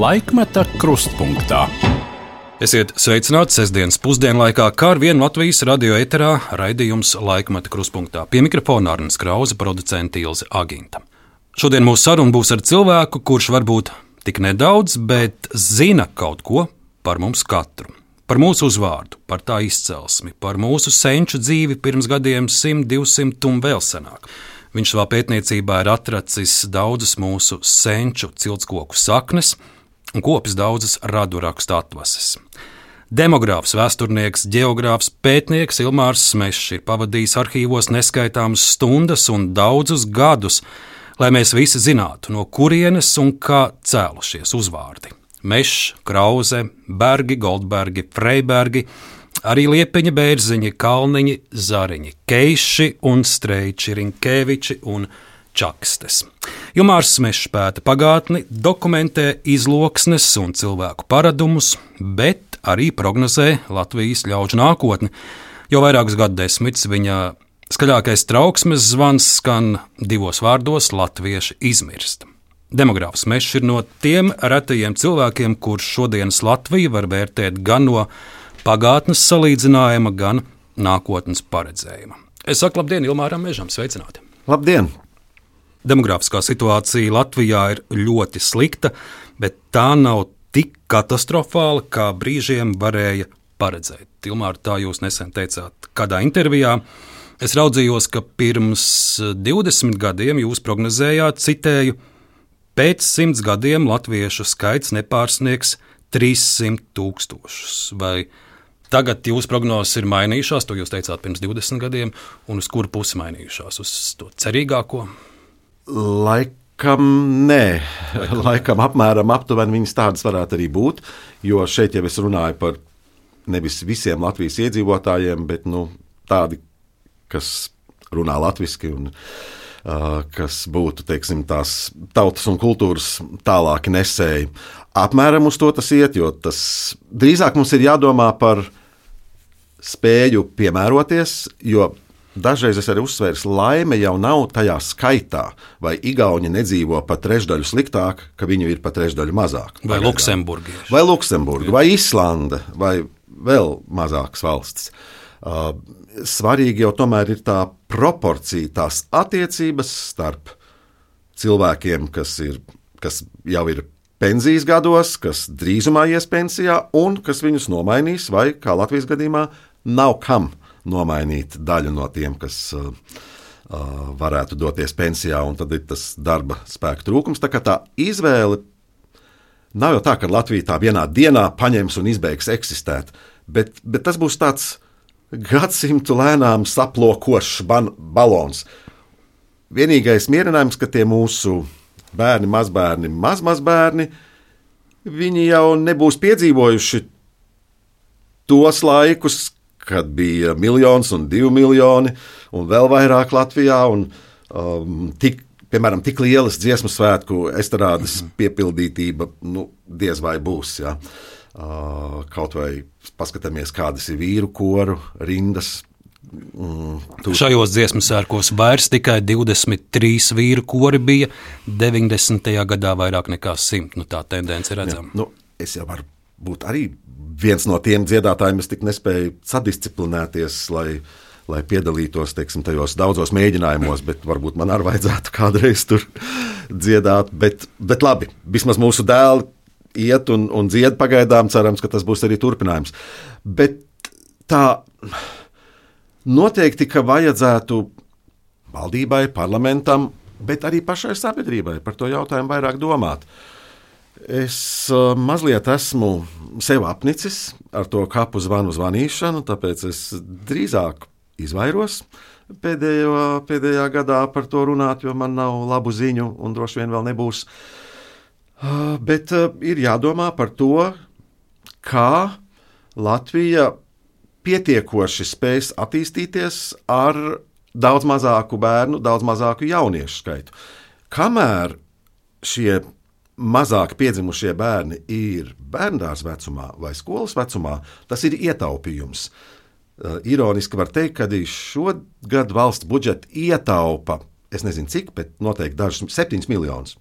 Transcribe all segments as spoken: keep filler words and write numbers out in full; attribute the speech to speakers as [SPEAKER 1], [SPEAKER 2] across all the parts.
[SPEAKER 1] Laikmeta krustpunktā. Esiet sveicināti sestdienas pusdienlaikā, kā ar vienu Latvijas radio eterā raidījums Laikmeta krustpunktā. Pie mikrofona Arnis Krause, producente Ilze Aginta. Šodien mūsu saruna būs ar cilvēku, kurš varbūt tik nedaudz, bet zina kaut ko par mums katru. Par mūsu uzvārdu, par tā izcelsmi, par mūsu senču dzīvi pirms gadiem simt, divsimt un vēl senāk. Viņš savā pētniecībā ir atracis daudzas mūsu senču ciltskoku saknes un kopis daudzas radu rakstu atvases. Demogrāfs, vēsturnieks, ģeogrāfs, pētnieks Ilmārs Smešs ir pavadījis arhīvos neskaitāmas stundas un daudzus gadus, lai mēs visi zinātu, no kurienes un kā cēlušies uzvārdi. Mešs, Krause, Bergi, Goldbergi, Freibergi, arī Liepiņi, Bērziņi, Kalniņi, Zariņi, Keiši un Streiči, Rinkēviči un Čakstes. Ilmārs Smešs pēta pagātni, dokumentē izloksnes un cilvēku paradumus, bet arī prognozē Latvijas ļaužu nākotni. Jau vairākus gadsimtus viņa skaļākais trauksmes zvans skan divos vārdos: latvieši izmirst. Demogrāfs Smešs ir no tiem retajiem cilvēkiem, kurš šodienas Latviju var vērtēt gan no pagātnes salīdzinājuma, gan nākotnes paredzējuma. Es saku labdien Ilmāram Mežam, sveicināti!
[SPEAKER 2] Labdien!
[SPEAKER 1] Demogrāfiskā situācija Latvijā ir ļoti slikta, bet tā nav tik katastrofāla, kā brīžiem varēja paredzēt. Ilmār, tā jūs nesen teicāt kādā intervijā. Es raudzījos, ka pirms divdesmit gadiem jūs prognozējāt, citēju, pēc simts gadiem latviešu skaits nepārsniegs trīssimt tūkstošus. Vai tagad jūsu prognozes ir mainījušās, to jūs teicāt pirms divdesmit gadiem, un uz kuru pusi mainījušās? Uz to cerīgāko?
[SPEAKER 2] Laikam nē, laikam, laikam apmēram aptuveni viņas tādas varētu arī būt, jo šeit jau es runāju par nevis visiem Latvijas iedzīvotājiem, bet nu, tādi, kas runā latviski un uh, kas būtu, teiksim, tās tautas un kultūras tālāki nesēji. Apmēram uz to tas iet, jo tas drīzāk mums ir jādomā par spēju piemēroties, jo dažreiz es arī uzsvēru, laime jau nav tajā skaitā, vai Igauni nedzīvo pa trešdaļu sliktāk, ka viņu ir pa trešdaļu mazāk.
[SPEAKER 1] Vai Luksemburgieši.
[SPEAKER 2] Vai Luksemburga, vai Islanda, vai vēl mazākas valstis. Uh, svarīgi jau tomēr ir tā proporcija, tās attiecības starp cilvēkiem, kas, ir, kas jau ir pensijas gados, kas drīzumā ies pensijā un kas viņus nomainīs, vai, kā Latvijas gadījumā, nav kam nomainīt daļu no tiem, kas uh, uh, varētu doties pensijā, un tad ir tas darba spēka trūkums. Tā kā tā izvēle nav jau tā, ka Latvija tā vienā dienā paņems un izbeigs eksistēt, bet, bet tas būs tāds gadsimtu lēnām saplokošs ban- balons. Vienīgais mierinājums, ka tie mūsu bērni, mazbērni, mazmazbērni, viņi jau nebūs piedzīvojuši tos laikus, kad bija miljons un divi miljoni un vēl vairāk Latvijā, un um, tik, piemēram, tik lielas dziesmu svētku estrādes piepildītība, nu, diez vai būs, jā. Uh, kaut vai paskatāmies, kādas ir vīru koru rindas. Mm, tu...
[SPEAKER 1] Šajos dziesmu sērkos vairs tikai divdesmit trīs vīru kori bija, deviņdesmitajā gadā vairāk nekā simt. Nu, tā tendence ir redzama.
[SPEAKER 2] Nu, es jau varu būt arī viens no tiem dziedātājiem, es tik nespēju sadisciplinēties, lai, lai piedalītos, teiksim, tajos daudzos mēģinājumos, bet varbūt man arī vajadzētu kādreiz tur dziedāt. Bet, bet labi, vismaz mūsu dēli iet un, un dzied pagaidām, cerams, ka tas būs arī turpinājums. Bet tā noteikti, ka vajadzētu valdībai, parlamentam, bet arī pašai sabiedrībai par to jautājumu vairāk domāt. Es uh, mazliet esmu sev apnicis ar to kapu zvanu zvanīšanu, tāpēc es drīzāk izvairos pēdējo, pēdējā gadā par to runāt, jo man nav labu ziņu un droši vien vēl nebūs. Uh, bet uh, ir jādomā par to, kā Latvija pietiekoši spēs attīstīties ar daudz mazāku bērnu, daudz mazāku jauniešu skaitu. Kamēr šie mazāk piedzimušie bērni ir bērndārs vecumā vai skolas vecumā, tas ir ietaupījums. Uh, ironiski var teikt, ka šogad valsts budžeta ietaupa, es nezinu cik, bet noteikti dažus septiņus miljonus.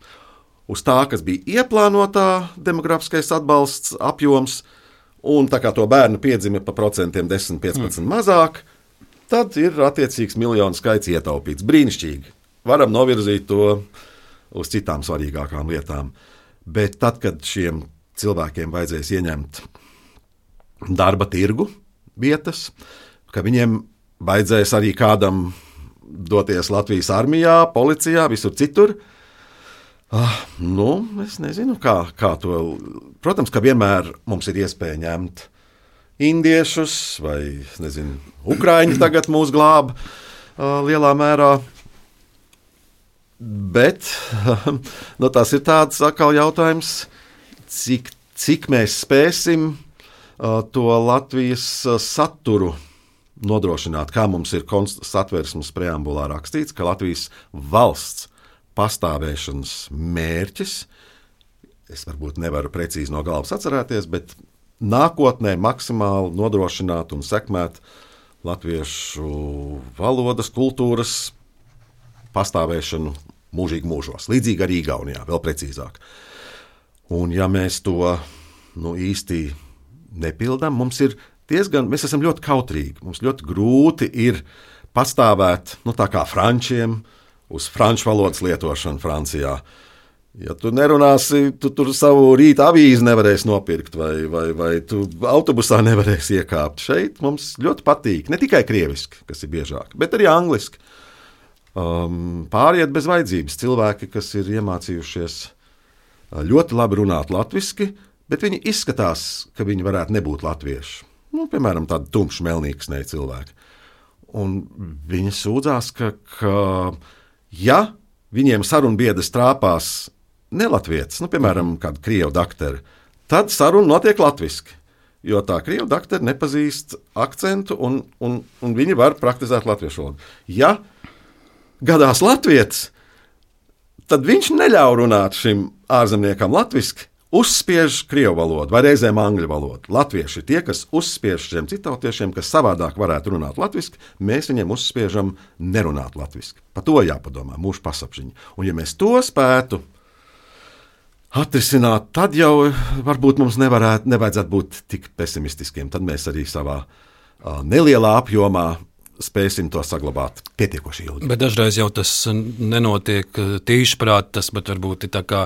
[SPEAKER 2] uz tā, kas bija ieplānotā demografiskais atbalsts apjoms, un tā kā to bērnu piedzima pa procentiem desmit, piecpadsmit mm. mazāk, tad ir attiecīgs miljonu skaits ietaupīts. Brīnišķīgi. Varam novirzīt to uz citām svarīgākām lietām. Bet tad, kad šiem cilvēkiem vajadzēs ieņemt darba tirgu vietas, ka viņiem vajadzēs arī kādam doties Latvijas armijā, policijā, visur citur, ah, nu, es nezinu, kā, kā to. Protams, ka vienmēr mums ir iespēja ņemt indiešus vai, nezinu, ukraiņi tagad mūs glāb uh, lielā mērā. Bet nu, tas ir tāds atkal jautājums, cik, cik mēs spēsim uh, to Latvijas uh, saturu nodrošināt. Kā mums ir Satversmes preambulā rakstīts, ka Latvijas valsts pastāvēšanas mērķis, es varbūt nevaru precīzi no galvas atcerēties, bet nākotnē maksimāli nodrošināt un sekmēt latviešu valodas, kultūras pastāvēšanu mūžīgi mūžos. Līdzīgi arī Igaunijā, vēl precīzāk. Un ja mēs to nu, īsti nepildām, mums ir diezgan, mēs esam ļoti kautrīgi. Mums ļoti grūti ir pastāvēt, nu tā kā frančiem, uz franču valodas lietošanu Francijā. Ja tu nerunāsi, tu tur savu rīta avīzi nevarēsi nopirkt, vai, vai, vai tu autobusā nevarēsi iekāpt. Šeit mums ļoti patīk, ne tikai krieviski, kas ir biežāk, bet arī angliski. Um, pāriet bez vajadzības cilvēki, kas ir iemācījušies ļoti labi runāt latviski, bet viņi izskatās, ka viņi varētu nebūt latvieši. Nu, piemēram, tādi tumši melnīksnēji cilvēki. Un viņi sūdzās, ka, ka ja viņiem sarunbiedrs trāpās nelatvietis, nu, piemēram, kāda krievu dakteri, tad saruna notiek latviski, jo tā krievu dakteri nepazīst akcentu un, un, un viņi var praktizēt latviešu valodu. Ja gadās latvietis, tad viņš neļauj runāt šim ārzemniekam latviski, uzspiež krievu valodu vai reizēm angļu valodu. Latvieši ir tie, kas uzspiež šiem citautiešiem, kas savādāk varētu runāt latviski, mēs viņiem uzspiežam nerunāt latviski. Par to jāpadomā, mūsu pasapziņa. Un ja mēs to spētu atrisināt, tad jau varbūt mums nevarētu, nevajadzētu būt tik pesimistiskiem. Tad mēs arī savā uh, nelielā apjomā spēsim to saglabāt pietiekoši ilgi.
[SPEAKER 1] Bet dažreiz jau tas nenotiek tīšprāt, tas bet varbūt ir tā kā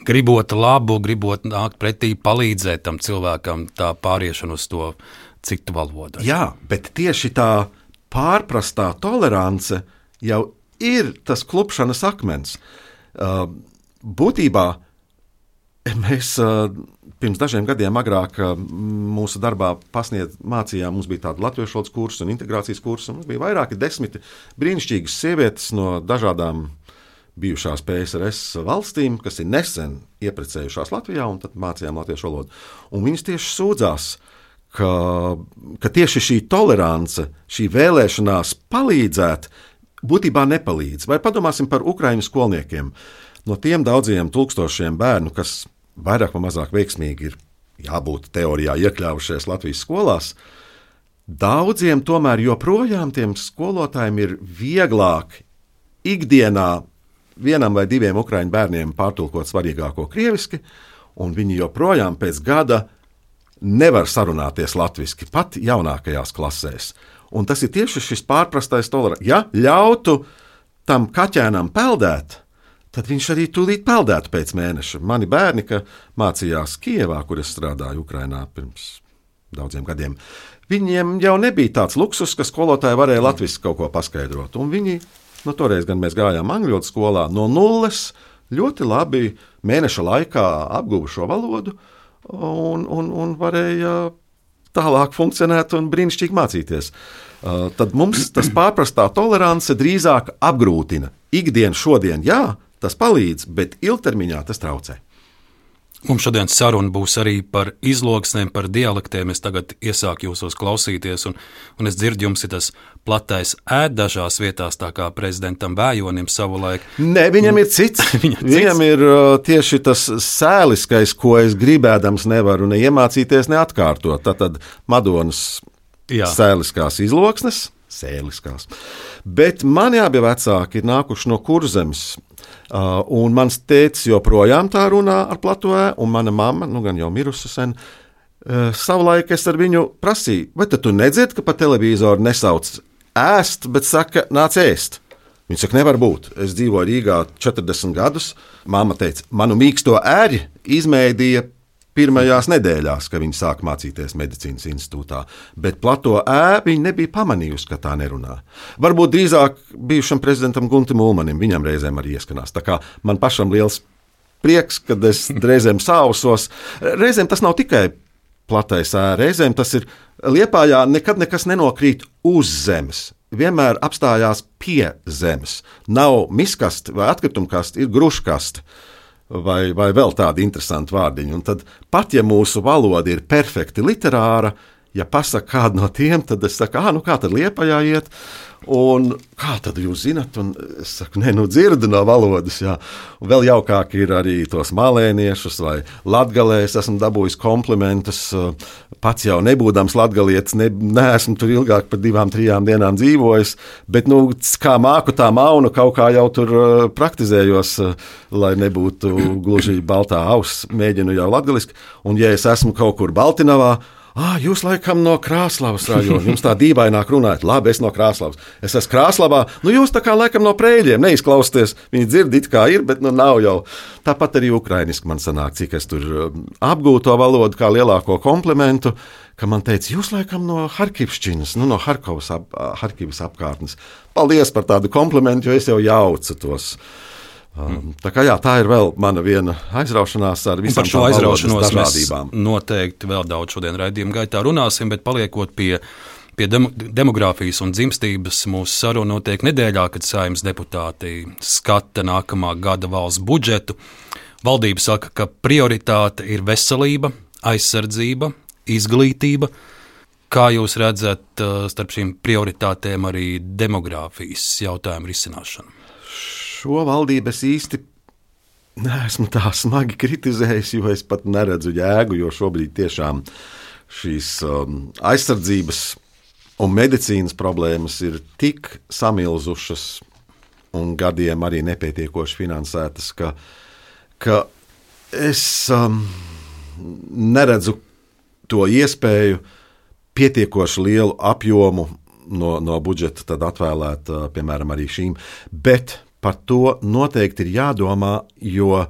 [SPEAKER 1] gribot labu, gribot nākt pretī, palīdzēt tam cilvēkam tā pāriešanu uz to citu valodu.
[SPEAKER 2] Jā, bet tieši tā pārprastā tolerance jau ir tas klupšanas akmens. Būtībā mēs pirms dažiem gadiem agrāk mūsu darbā pasniedz, mācījām, mums bija tāda latviešu valodas kursa un integrācijas kursa, un mums bija vairāki desmiti brīnišķīgas sievietes no dažādām bijušās P S R S valstīm, kas ir nesen ieprecējušās Latvijā, un tad mācījām latviešu valodu. Un viņas tieši sūdzās, ka, ka tieši šī tolerance, šī vēlēšanās palīdzēt, būtībā nepalīdz. Vai padomāsim par ukraiņu skolniekiem. No tiem daudziem tūkstošiem bērnu, kas vairāk vai mazāk veiksmīgi ir jābūt teorijā iekļāvušies Latvijas skolās, daudziem tomēr joprojām tiem skolotājiem ir vieglāk ikdienā vienam vai diviem ukraiņu bērniem pārtulkot svarīgāko krieviski, un viņi joprojām pēc gada nevar sarunāties latviski, pat jaunākajās klasēs. Un tas ir tieši šis pārprastais tolerants. Ja ļautu tam kaķēnam peldēt, tad viņš arī tūlīt peldētu pēc mēneša. Mani bērni, ka mācījās Kijevā, kur es strādāju Ukrainā pirms daudziem gadiem, viņiem jau nebija tāds luksus, ka skolotāji varēja latviski kaut ko paskaidrot. Un viņi, nu toreiz gan mēs gājām angļu valodas skolā, no nulles ļoti labi mēneša laikā apguva šo valodu un, un, un varēja tālāk funkcionēt un brīnišķīgi mācīties. Uh, tad mums tas pārprastā tolerance drīzāk apgrūtina. Ikdien, šodien, jā, tas palīdz, bet ilgtermiņā tas traucē.
[SPEAKER 1] Mums šodien saruna būs arī par izloksnēm, par dialektiem. Es tagad iesāku jūsos klausīties, un, un es dzirdu, jums ir tas platais ēd dažās vietās, tā kā prezidentam Vējonim savulaik.
[SPEAKER 2] Nē, viņam ir cits. viņam, cits. viņam ir uh, tieši tas sēliskais, ko es gribēdams nevaru ne iemācīties, ne atkārtot. Tātad Madonas Jā. Sēliskās izloksnes, sēliskās. Bet mani abi vecāki ir nākuši no Kurzemes. Uh, un mans tētis joprojām tā runā ar plato ē, un mana mamma, nu gan jau mirusi sen, uh, savulaik es ar viņu prasīju, vai tad tu nedzirdi, ka pa televizoru nesauc ēst, bet saka, nāc ēst. Viņa saka, nevar būt. Es dzīvoju Rīgā četrdesmit gadus. Māma teica, manu mīksto ēri izmēdīja pirmajās nedēļās, kad viņa sāka mācīties medicīnas institūtā. Bet plato ē viņa nebija pamanījusi, ka tā nerunā. Varbūt drīzāk bijušam prezidentam Guntim Ulmanim, viņam reizēm arī ieskanās. Tā kā man pašam liels prieks, kad es reizēm sausos. Reizēm tas nav tikai platais ē, reizēm tas ir Liepājā nekad nekas nenokrīt uz zemes. Vienmēr apstājās pie zemes. Nav miskasti vai atkritumkasti, ir gruškasti vai, vai vēl tādi interesanti vārdiņi. Un tad pat ja mūsu valoda ir perfekti literāra, ja pasaka kādu no tiem, tad es saku, ah, nu kā tad Liepājā iet? Un kā tad jūs zinat? Un es saku, nē, nu dzirdu no valodas, jā. Un vēl jaukāk ir arī tos malēniešus vai latgalē. Es esmu dabūjis komplimentus, pats jau nebūdams latgalietis, ne, neesmu tur ilgāk par divām, trijām dienām dzīvojis, bet, nu, kā māku tā maunu, kaut kā jau tur praktizējos, lai nebūtu gluži baltā auss, mēģinu jau latgaliski. Un ja es esmu kaut kur Baltinavā, Ah, jūs laikam no Krāslavas rajona, jums tā dīvaināk runājat. Labi, es no Krāslavas. Es esmu Krāslavā, nu jūs tā kā laikam no Prēļiem neizklausties. Viņi dzird it kā ir, bet nu nav jau. Tāpat arī ukrainiski man sanāk, cik es tur apgūtu to valodu kā lielāko komplimentu, ka man teica, jūs laikam no Harkivšķinas, nu no Harkovas ap, Harkivas apkārtnes. Paldies par tādu komplimentu, jo es jau jaucu tos. Um, tā kā jā, tā ir vēl mana viena aizraušanās ar visām tām valodas dažādībām.
[SPEAKER 1] Mēs noteikti vēl daudz šodien raidījuma gaitā runāsim, bet paliekot pie, pie dem- demogrāfijas un dzimstības, mūsu saruna notiek nedēļā, kad Saeimas deputāti skata nākamā gada valsts budžetu. Valdība saka, ka prioritāte ir veselība, aizsardzība, izglītība. Kā jūs redzat starp šīm prioritātēm arī demogrāfijas jautājumu risināšanu?
[SPEAKER 2] Šo valdību es īsti neesmu tā smagi kritizējis, jo es pat neredzu jēgu, jo šobrīd tiešām šīs um, aizsardzības un medicīnas problēmas ir tik samilzušas un gadiem arī nepietiekoši finansētas, ka, ka es um, neredzu to iespēju pietiekoši lielu apjomu no, no budžeta tad atvēlēt, uh, piemēram, arī šīm, bet par to noteikti ir jādomā, jo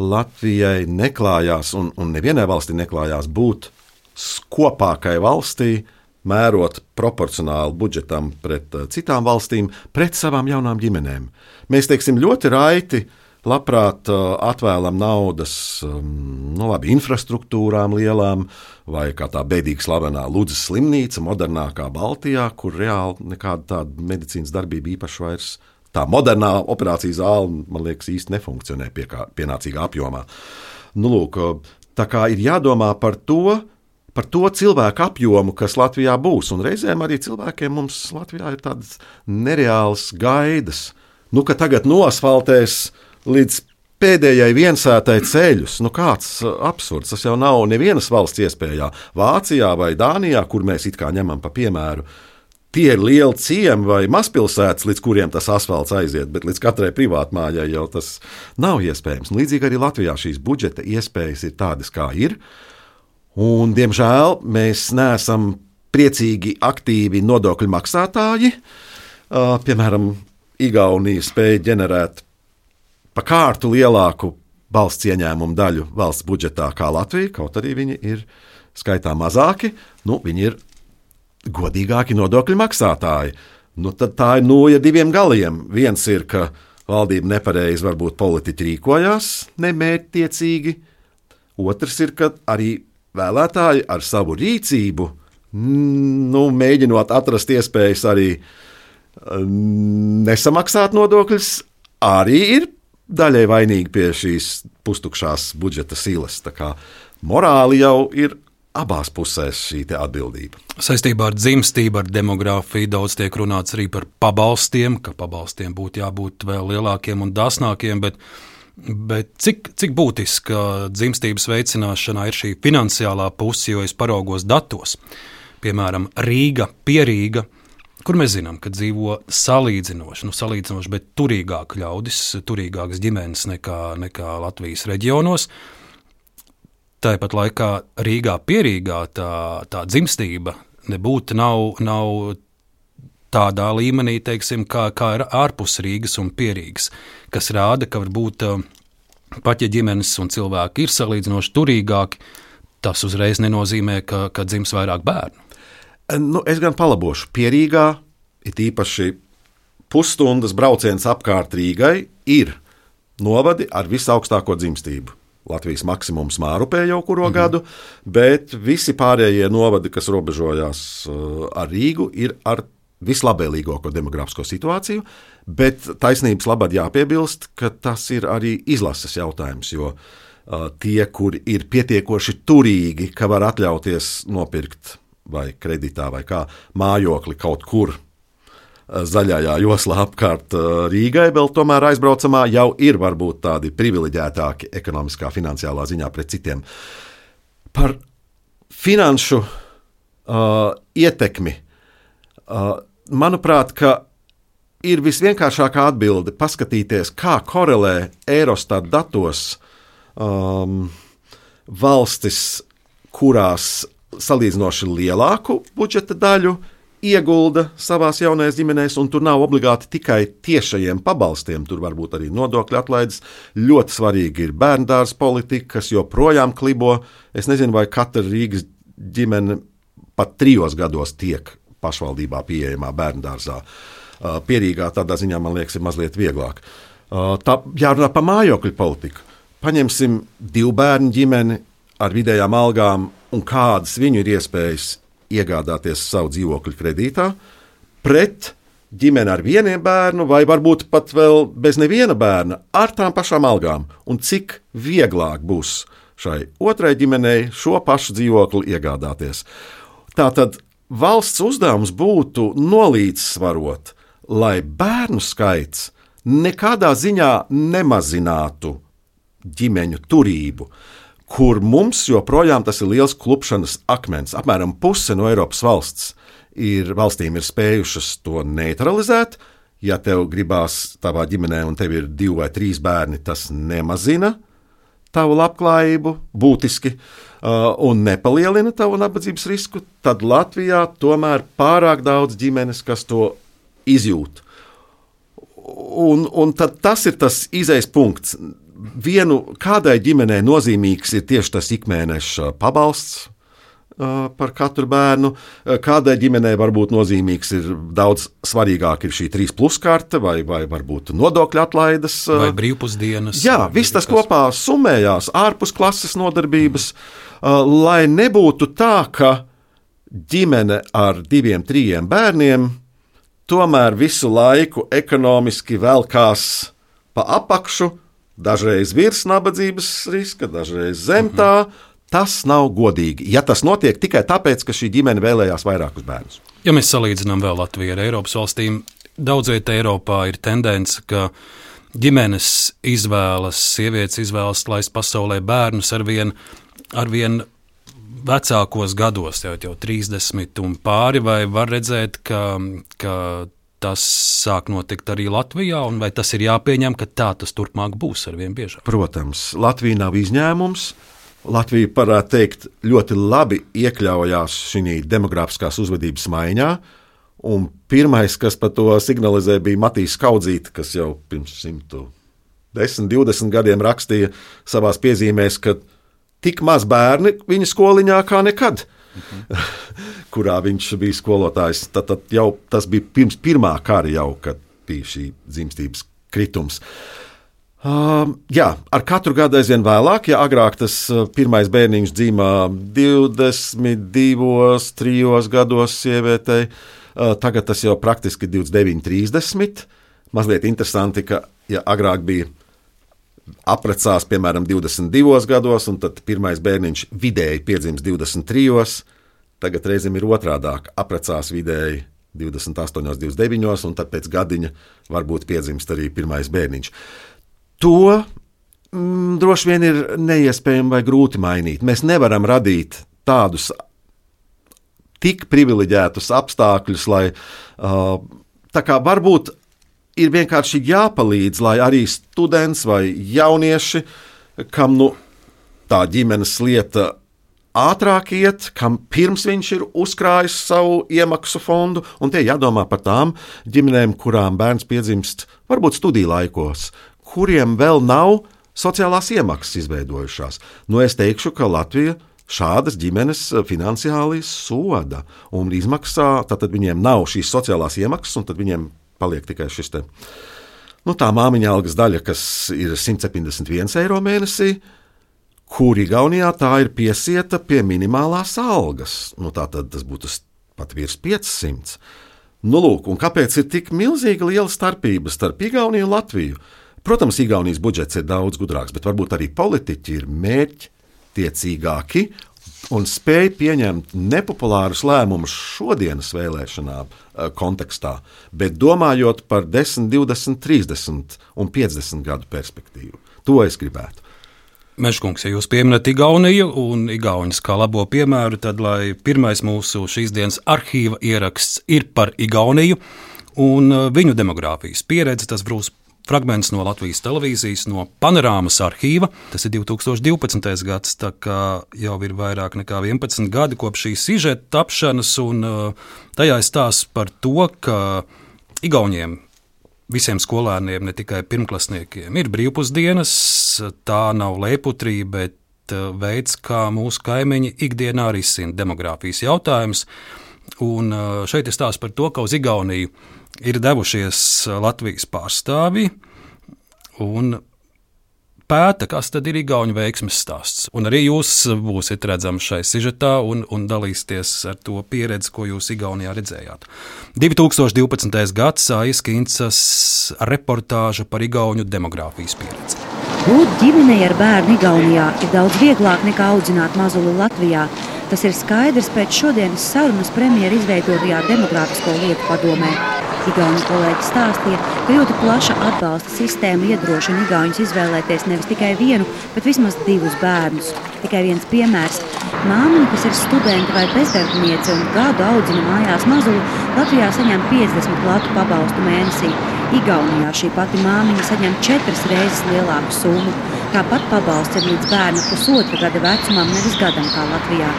[SPEAKER 2] Latvijai neklājās, un, un nevienai valstī neklājās būt skopākai valstī, mērot proporcionāli budžetam pret uh, citām valstīm, pret savām jaunām ģimenēm. Mēs, teiksim, ļoti raiti, labprāt uh, atvēlam naudas um, nu, labi, infrastruktūrām lielām, vai kā tā bēdīgi slavenā Ludzas slimnīca, modernākā Baltijā, kur reāli nekāda tāda medicīnas darbība īpaši vairs. Tā modernā operācijas zāle, man liekas, īsti nefunkcionē pie kā, pienācīgā apjomā. Nu, lūk, tā kā ir jādomā par to, par to cilvēku apjomu, kas Latvijā būs. Un reizēm arī cilvēkiem mums Latvijā ir tādas nereālas gaidas. Nu, ka tagad noasfaltēs līdz pēdējai viensētai ceļus. Nu, kāds absurds. Tas jau nav nevienas valsts iespējā. Vācijā vai Dānijā, kur mēs it kā ņemam pa piemēru, tie ir lieli ciemi vai mazpilsētas, līdz kuriem tas asfalts aiziet, bet līdz katrai privātmājai jau tas nav iespējams. Un līdzīgi arī Latvijā šīs budžeta iespējas ir tādas, kā ir. Un, diemžēl, mēs neesam priecīgi, aktīvi nodokļu maksātāji. Uh, piemēram, Igaunija spēja ģenerēt pa kārtu lielāku valsts ieņēmumu daļu valsts budžetā kā Latvija, kaut arī viņi ir skaitā mazāki. Nu, viņi ir godīgāki nodokļu maksātāji. Nu, tad tā ir nūja diviem galiem. Viens ir, ka valdība nepareizi varbūt politiķi rīkojās nemērķtiecīgi. Otrs ir, ka arī vēlētāji ar savu rīcību, nu, mēģinot atrast iespējas arī nesamaksāt nodokļus, arī ir daļai vainīgi pie šīs pustukšās budžeta silas. Tā kā morāli jau ir abās pusēs šī atbildība.
[SPEAKER 1] Saistībā ar dzimstību, ar demogrāfiju daudz tiek runāts arī par pabalstiem, ka pabalstiem būtu jābūt vēl lielākiem un dāsnākiem, bet, bet cik, cik būtiska dzimstības veicināšanā ir šī finansiālā puse, jo es paraugos datos. Piemēram, Rīga, Pierīga kur mēs zinām, ka dzīvo salīdzinoši, nu salīdzinoši, bet turīgāk ļaudis, turīgākas ģimenes nekā, nekā Latvijas reģionos. Tāpat laikā Rīgā pierīgā tā, tā dzimstība nebūtu nav, nav tādā līmenī, teiksim, kā, kā ir ārpus Rīgas un pierīgas, kas rāda, ka varbūt pat ja ģimenes un cilvēki ir salīdzinoši turīgāki, tas uzreiz nenozīmē, ka, ka dzims vairāk bērnu.
[SPEAKER 2] Nu, es gan palabošu. Pierīgā, it īpaši pusstundas brauciens apkārt Rīgai, ir novadi ar visaugstāko dzimstību. Latvijas maksimums Mārupē jau kuro mm-hmm. gadu, bet visi pārējie novadi, kas robežojās ar Rīgu, ir ar vislabvēlīgāko demografisko situāciju, bet taisnības labad jāpiebilst, ka tas ir arī izlases jautājums, jo uh, tie, kuri ir pietiekoši turīgi, ka var atļauties nopirkt vai kreditā vai kā mājokli kaut kur uh, zaļajā joslā apkārt uh, Rīgai, vēl tomēr aizbraucamā jau ir varbūt tādi privileģētāki ekonomiskā, finansiālā ziņā pret citiem. Par finanšu uh, ietekmi uh, manuprāt, ka ir visvienkāršākā atbilde paskatīties, kā korelē Eurostat datos um, valstis, kurās salīdzinoši lielāku budžeta daļu iegulda savās jaunajās ģimenēs, un tur nav obligāti tikai tiešajiem pabalstiem, tur varbūt arī nodokļu atlaides. Ļoti svarīgi ir bērndārs politika, kas joprojām klibo. Es nezinu, vai katra Rīgas ģimene pat trijos gados tiek pašvaldībā pieejamā bērndārzā. Pierīgā tādā ziņā, man liekas, ir mazliet vieglāk. Tā jārunā par mājokļu politiku. Paņemsim divu bērnu ģimeni ar vidējām algām un kādas viņu ir iespējas iegādāties savu dzīvokļu kredītā pret ģimeni ar vieniem bērnu vai varbūt pat vēl bez neviena bērna ar tām pašām algām. Un cik vieglāk būs šai otrai ģimenei šo pašu dzīvokli iegādāties. Tātad valsts uzdevums būtu nolīdzsvarot, lai bērnu skaits nekādā ziņā nemazinātu ģimeņu turību, kur mums joprojām tas ir liels klupšanas akmens. Apmēram puse no Eiropas valsts ir, valstīm ir spējušas to neutralizēt. Ja tev gribās tavā ģimenē un tev ir divi vai trīs bērni, tas nemazina tavu labklājību būtiski uh, un nepalielina tavu nabadzības risku, tad Latvijā tomēr pārāk daudz ģimenes, kas to izjūt. Un, un tad tas ir tas izejas punkts. Vienu, kādai ģimenei nozīmīgs ir tieši tas ikmēneša pabalsts uh, par katru bērnu, kādai ģimenei varbūt nozīmīgs ir daudz svarīgāk ir šī trīs plus karte vai, vai varbūt nodokļu atlaides.
[SPEAKER 1] Vai brīvpusdienas.
[SPEAKER 2] Jā, viss tas kopā summējās, ārpus klases nodarbības, uh, lai nebūtu tā, ka ģimene ar diviem, trījiem bērniem tomēr visu laiku ekonomiski velkās pa apakšu, dažreiz virs nabadzības riska, dažreiz zem tā. Tas nav godīgi, ja tas notiek tikai tāpēc, ka šī ģimene vēlējās vairākus bērnus.
[SPEAKER 1] Ja mēs salīdzinām vēl Latviju ar Eiropas valstīm, daudz vietā Eiropā ir tendence, ka ģimenes izvēlas, sievietes izvēlas laist pasaulē bērnus arvien, arvien vecākos gados, jau, jau trīsdesmit un pāri, vai var redzēt, ka, ka tas sāk notikt arī Latvijā, un vai tas ir jāpieņem, ka tā tas turpmāk būs arvien biežāk?
[SPEAKER 2] Protams, Latvija nav izņēmums. Latvija, varētu teikt, ļoti labi iekļaujās šī demografiskās uzvedības maiņā, un pirmais, kas par to signalizē, bija Matīs Kaudzīte, kas jau pirms simt desmit, divdesmit gadiem rakstīja savās piezīmēs, ka tik maz bērni viņa skoliņā kā nekad, mhm. kurā viņš bija skolotājs. Tad, tad jau tas bija pirms pirmā kara jau, kad bija šī dzimstības kritums. Uh, jā, ar katru gadu aizvien vēlāk, ja agrāk tas pirmais bērniņš dzīmā divdesmit divos, trijos gados sievietei, uh, tagad tas jau praktiski divdesmit deviņi, trīsdesmit. Mazliet interesanti, ka ja agrāk bija aprecās, piemēram, divdesmit divos gados, un tad pirmais bērniņš vidēji piedzims divdesmit trijos, tagad reizēm ir otrādāk, aprecās vidēji divdesmit astoņos, divdesmit deviņos, un tad pēc gadiņa varbūt piedzimst arī pirmais bērniņš. To mm, droši vien ir neiespējami vai grūti mainīt. Mēs nevaram radīt tādus tik privileģētus apstākļus, lai uh, tā kā varbūt ir vienkārši jāpalīdz, lai arī students vai jaunieši, kam nu, tā ģimenes lieta ātrāk iet, kam pirms viņš ir uzkrājis savu iemaksu fondu, un tie jādomā par tām ģimenēm, kurām bērns piedzimst varbūt studiju laikos, kuriem vēl nav sociālās iemaksas izveidojušās. Nu, es teikšu, ka Latvija šādas ģimenes finansiāli soda un izmaksā, tad viņiem nav šīs sociālās iemaksas, un tad viņiem paliek tikai šis te, nu, tā māmiņa algas daļa, kas ir simt septiņdesmit viens eiro mēnesī, kur Igaunijā tā ir piesieta pie minimālās algas. Nu, tā tad tas būtu pat virs piecsimt. Nu, lūk, un kāpēc ir tik milzīga liela starpība starp Igauniju un Latviju? Protams, Igaunijas budžets ir daudz gudrāks, bet varbūt arī politiķi ir mērķtiecīgāki un spēj pieņemt nepopulārus lēmumus šodienas vēlēšanām kontekstā, bet domājot par desmit, divdesmit, trīsdesmit un piecdesmit gadu perspektīvu. To es gribētu.
[SPEAKER 1] Mežkungs, ja jūs pieminat Igauniju un Igauņus kā labo piemēru, tad lai pirmais mūsu šīs dienas arhīva ieraksts ir par Igauniju un viņu demogrāfijas pieredzi. Tas būs fragments no Latvijas televīzijas, no Panorāmas arhīva. Tas ir divi tūkstoši divpadsmitais gads, tā kā jau ir vairāk nekā vienpadsmit gadi kopš šī sižeta tapšanas, un tajā ir stāsts par to, ka Igauniem visiem skolēniem, ne tikai pirmklasniekiem, ir brīvpusdienas. Tā nav lēputrī, bet veids, kā mūsu kaimiņi ikdienā risina demogrāfijas jautājumus. Un šeit ir stāsts par to, ka uz Igauniju ir devušies Latvijas pārstāvji un pēta, kas tad ir Igauņu veiksmes stāsts. Un arī jūs būsiet redzami šai sižetā un, un dalīsieties ar to pieredzi, ko jūs Igaunijā redzējāt. divi tūkstoši divpadsmitais gads, Aijas Kincas reportāža par Igauņu demogrāfijas pieredzi.
[SPEAKER 3] Būt ģimenei ar bērnu Igaunijā ir daudz vieglāk nekā audzināt mazuli Latvijā. Tas ir skaidrs pēc šodienas sarunas premjera izveidotajā demogrāfisko lietu padomē. Igauņu kolēģi stāstīja, ka ļoti plaša atbalsta sistēma iedrošina igauņus izvēlēties nevis tikai vienu, bet vismaz divus bērnus. Tikai viens piemērs. Māmiņa, kas ir studenta vai bezdarbniece un gadu audzina mājās mazuli, Latvijā saņem piecdesmit latu pabalstu mēnesī. Igaunijā šī pati māmiņa saņem četras reizes lielāku summu. Tāpat pabalsts ir līdz bērna pusotra gada vecumam, nevis gadam kā Latvijā.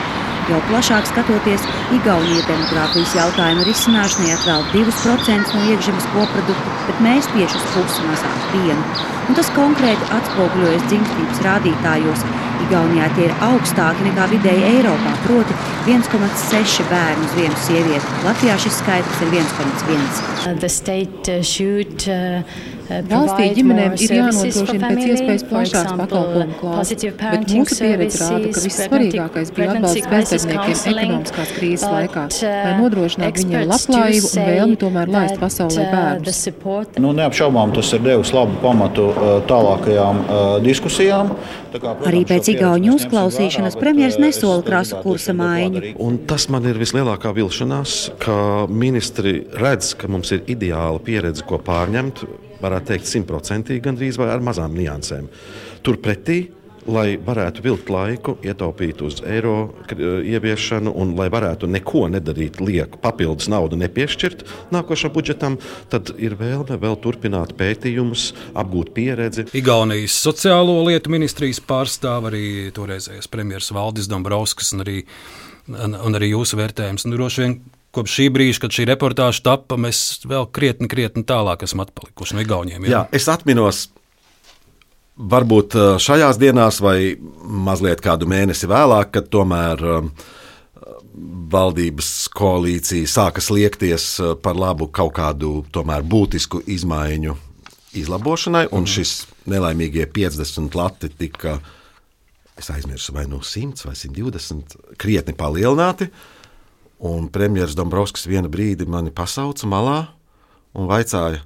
[SPEAKER 3] Jau plašāk skatoties, Igaunija demogrāfijas jautājumu risināšanai atvēl divus procentus no iekšzemes koprodukta, bet mēs tieši uz pusi mazāk vienu. Un tas konkrēti atspoguļojas dzimstības rādītājos. Igaunijā tie ir augstāki nekā vidēji Eiropā, proti viens komats seši bērnu uz vienu sievieti. Latvijā šis skaitlis ir viens komats viens.
[SPEAKER 4] Valstī ģimenēm ir jānodrošina pēc iespējas plašāks pakalpojumu klāsts, bet mūsu pieredze rāda, ka vissvarīgākais bija atbalsts bezdarbniekiem ekonomiskās krīzes laikā, lai nodrošinātu viņiem labklājību un vēlmi tomēr laist pasaulē bērnus.
[SPEAKER 5] Nu, neapšaubām tas ir devis labu pamatu tālākajām diskusijām.
[SPEAKER 3] Arī pēc Igauņu uzklausīšanas premjeras nesola krasu kursa maiņu.
[SPEAKER 2] Un tas man ir vislielākā vilšanās, ka ministri redz, ka mums ir ideāla pieredze, ko pārņemt, varētu teikt simtprocentīgi gandrīz vai ar mazām niansēm. Turpretī, lai varētu vilkt laiku, ietaupīt uz eiro ieviešanu un lai varētu neko nedarīt lieku, papildus naudu nepiešķirt nākošam budžetam, tad ir vēlme vēl turpināt pētījumus, apgūt pieredzi.
[SPEAKER 1] Igaunijas sociālo lietu ministrijas pārstāv arī toreizējais premjers Valdis Dombrovskis un arī, un arī jūsu vērtējums. Un droši vien kopš šī brīža, kad šī reportāža tappa, mēs vēl krietni, krietni tālāk esam atpalikuši no Igauniem. Jā,
[SPEAKER 2] jā es atminos, varbūt šajās dienās vai mazliet kādu mēnesi vēlāk, kad tomēr valdības koalīcija sāka sliekties par labu kaut kādu tomēr būtisku izmaiņu izlabošanai, un šis nelaimīgie piecdesmit lati tika, es aizmirsu, vai no simts vai simt divdesmit, krietni palielināti. Un premjers Dombrovskis vienu brīdi mani pasauca malā un vaicāja,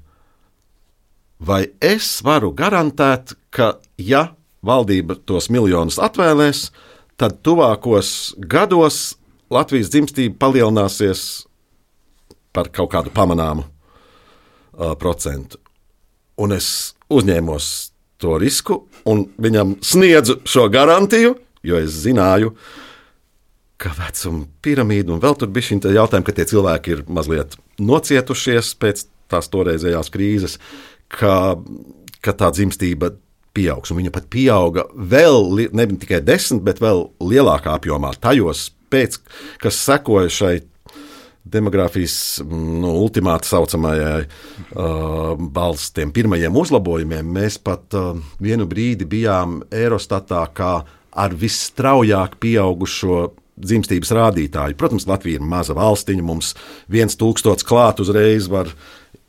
[SPEAKER 2] vai es varu garantēt, ka, ja valdība tos miljonus atvēlēs, tad tuvākos gados Latvijas dzimstība palielināsies par kaut kādu pamanāmu uh, procentu. Un es uzņēmos to risku un viņam sniedzu šo garantiju, jo es zināju, ka vecuma piramīda un vēl tur bija šī jautājuma, ka tie cilvēki ir mazliet nocietušies pēc tās toreizējās krīzes, ka, ka tā dzimstība pieaugs. Un viņa pat pieauga vēl ne tikai desmit, bet vēl lielākā apjomā tajos pēc, kas sekoja šai demogrāfijas nu, ultimāti saucamajai uh, balsts tiem pirmajiem uzlabojumiem. Mēs pat uh, vienu brīdi bijām Eurostatā kā ar visstraujāk pieaugušo dzimstības rādītāju. Protams, Latvija ir maza valstiņa, mums viens tūkstots klāt uzreiz var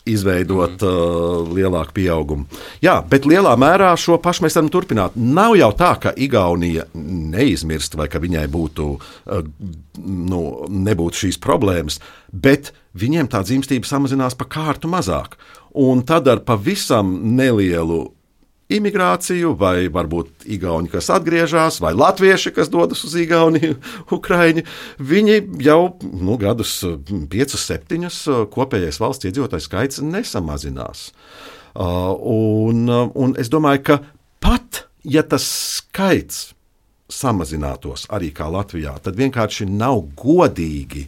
[SPEAKER 2] izveidot mm. uh, lielāku pieaugumu. Jā, bet lielā mērā šo pašu mēs varam turpināt. Nav jau tā, ka Igaunija neizmirst vai ka viņai būtu, uh, nu, nebūtu šīs problēmas, bet viņiem tā dzimstība samazinās pa kārtu mazāk. Un tad ar pavisam nelielu imigrāciju, vai varbūt igauņi, kas atgriežas, vai latvieši, kas dodas uz Igauniju, Ukraiņi, viņi jau nu, gadus piecus, septiņus kopējais valsts iedzīvotāju skaits nesamazinās. Uh, un, un es domāju, ka pat, ja tas skaits samazinātos arī kā Latvijā, tad vienkārši nav godīgi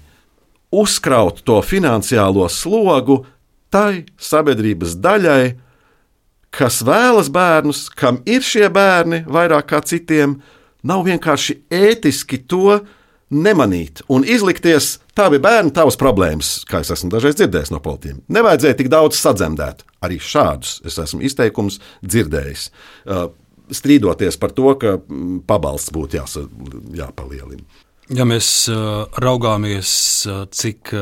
[SPEAKER 2] uzkraut to finansiālo slogu tai sabiedrības daļai, kas vēlas bērnus, kam ir šie bērni vairāk kā citiem, nav vienkārši ētiski to nemanīt un izlikties, tā bija bērni, tavas problēmas, kā es esmu dažreiz dzirdējis no politiķiem. Nevajadzēja tik daudz sadzemdēt. Arī šādus es esmu izteikumus dzirdējis, strīdoties par to, ka pabalsts būtu jāsa, jāpalielina.
[SPEAKER 1] Ja mēs raugāmies, cik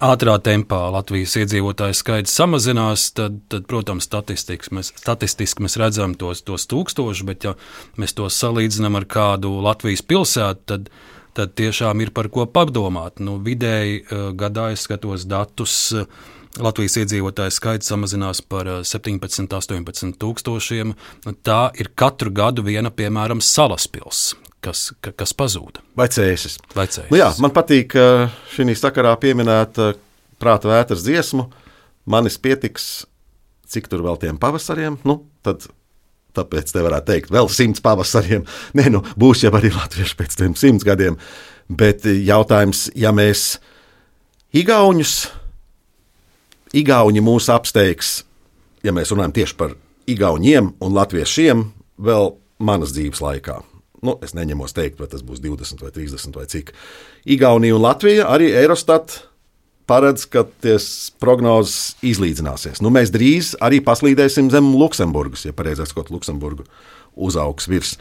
[SPEAKER 1] ātrā tempā Latvijas iedzīvotāju skaits samazinās, tad, tad protams, statistiski mēs, statistiski mēs redzam tos, tos tūkstošus, bet ja mēs to salīdzinām ar kādu Latvijas pilsētu, tad, tad tiešām ir par ko padomāt. Nu, vidēji gadā es skatos datus, Latvijas iedzīvotāju skaits samazinās par septiņpadsmit, astoņpadsmit tūkstošiem. Tā ir katru gadu viena, piemēram, Salaspils. Kas, kas pazūda.
[SPEAKER 2] Vai cēsis.
[SPEAKER 1] Vai cēsis.
[SPEAKER 2] Nu jā, man patīk šī sakarā pieminēt prāta vētras dziesmu. Manis pietiks, cik tur vēl tiem pavasariem. Nu, tad, tāpēc te varētu teikt, vēl simts pavasariem. Nē, nu, būs jau arī latvieši pēc tiem simts gadiem. Bet jautājums, ja mēs igauņus, igauņi mūs apsteigs, ja mēs runājam tieši par igauņiem un latviešiem, vēl manas dzīves laikā. Nu, es neņemos teikt, vai tas būs divdesmit vai trīsdesmit vai cik. Igaunija un Latvija arī Eurostat paredz, ka ties prognozes izlīdzināsies. Nu, mēs drīz arī paslīdēsim zem Luksemburgas, ja pareizāk sakot, Luksemburgu uzaugs virs.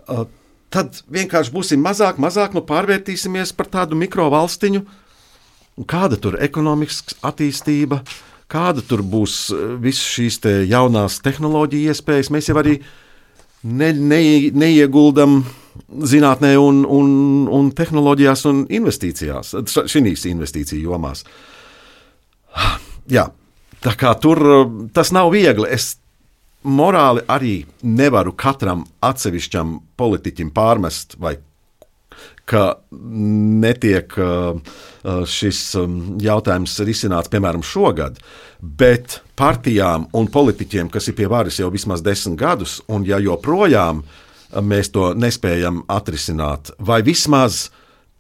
[SPEAKER 2] Uh, tad vienkārši būsim mazāk, mazāk, nu pārvērtīsimies par tādu mikrovalstiņu. Kāda tur ekonomikas attīstība, kāda tur būs visas šīs te jaunās tehnoloģija iespējas. Mēs jau arī Ne, ne, neieguldam zinātnē un, un, un tehnoloģijās un investīcijās, šīs investīciju jomās. Jā, tā kā tur tas nav viegli. Es morāli arī nevaru katram atsevišķam politiķim pārmest, vai ka netiek šis jautājums risināts, piemēram, šogad, bet partijām un politiķiem, kas ir pie varas jau vismaz desmit gadus, un ja joprojām mēs to nespējam atrisināt, vai vismaz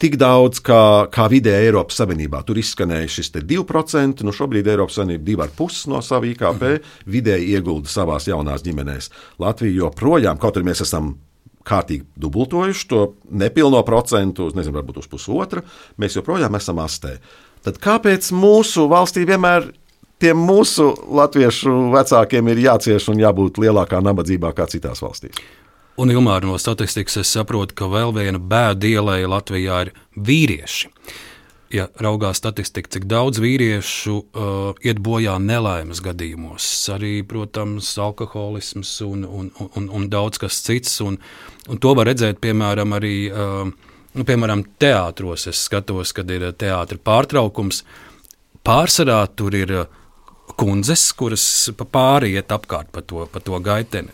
[SPEAKER 2] tik daudz kā, kā vidēji Eiropas Savienībā. Tur izskanēja šis te divi procenti, nu šobrīd Eiropas Savienība divi ar pus no savu I K P vidēji iegulda savās jaunās ģimenēs. Latvija joprojām, kaut arī mēs esam kārtīgi dubultojuši to nepilno procentu, nezinu, varbūt uz pusotra, mēs joprojām esam astē. Tad kāpēc mūsu valstī vienmēr tiem mūsu latviešu vecākiem ir jācieš un jābūt lielākā nabadzībā kā citās valstīs?
[SPEAKER 1] Un, Ilmār, no statistikas es saprotu, ka vēl viena bēda ielēja Latvijā ir vīrieši. Ja raugās statistika, cik daudz vīriešu uh, iet bojā nelaimes gadījumos, arī, protams, alkoholisms un, un, un, un daudz kas cits, un, un to var redzēt, piemēram, arī, uh, nu, piemēram, teātros. Es skatos, kad ir teātra pārtraukums, pārsvarā tur ir kundzes, kuras pa pāri iet apkārt pa to, pa to gaiteni.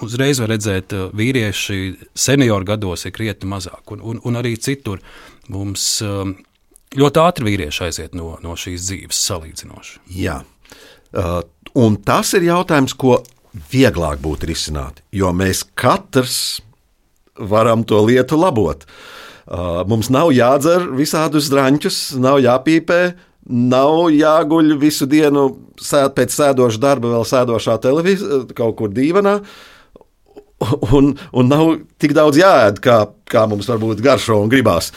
[SPEAKER 1] Uzreiz var redzēt, vīrieši senioru gados ir krietni mazāk, un, un, un arī citur mums uh, ļoti ātri vīrieši aiziet no, no šīs dzīves salīdzinoši.
[SPEAKER 2] Jā, uh, un tas ir jautājums, ko vieglāk būtu risināt, jo mēs katrs varam to lietu labot. Mums nav jādzer visādus draņķus, nav jāpīpē, nav jāguļ visu dienu sēd, pēc sēdoša darba vēl sēdošā televīzijā, kaut kur dīvanā, un, un nav tik daudz jāēd, kā, kā mums varbūt garšo un gribās.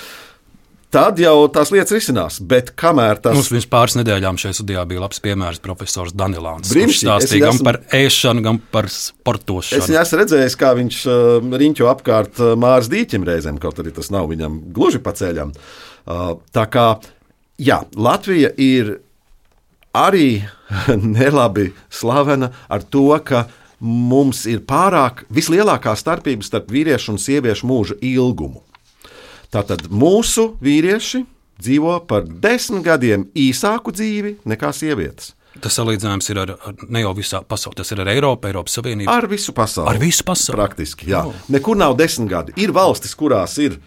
[SPEAKER 2] Tad jau tās lietas risinās, bet kamēr tas...
[SPEAKER 1] Mums pirms pāris nedēļām šajā studijā bija labs piemērs profesors Danilāns,
[SPEAKER 2] kurš
[SPEAKER 1] stāstīja gan par ēšanu, gan par sportošanu.
[SPEAKER 2] Es viņu esmu redzējis, kā viņš uh, riņķo apkārt uh, Māras dīķim reizēm, kaut arī tas nav viņam gluži pa ceļam. Uh, tā kā, jā, Latvija ir arī nelabi slavena ar to, ka mums ir pārāk vislielākā starpība starp vīriešu un sieviešu mūža ilgumu. Tātad mūsu vīrieši dzīvo par desmit gadiem īsāku dzīvi nekā sievietes.
[SPEAKER 1] Tas salīdzinājums ir ar, ar ne jau visā pasaulē, tas ir ar Eiropu, Eiropas Savienību.
[SPEAKER 2] Ar visu pasauli.
[SPEAKER 1] Ar visu pasauli.
[SPEAKER 2] Praktiski, jā. Oh. Nekur nav desmit gadi. Ir valstis, kurās ir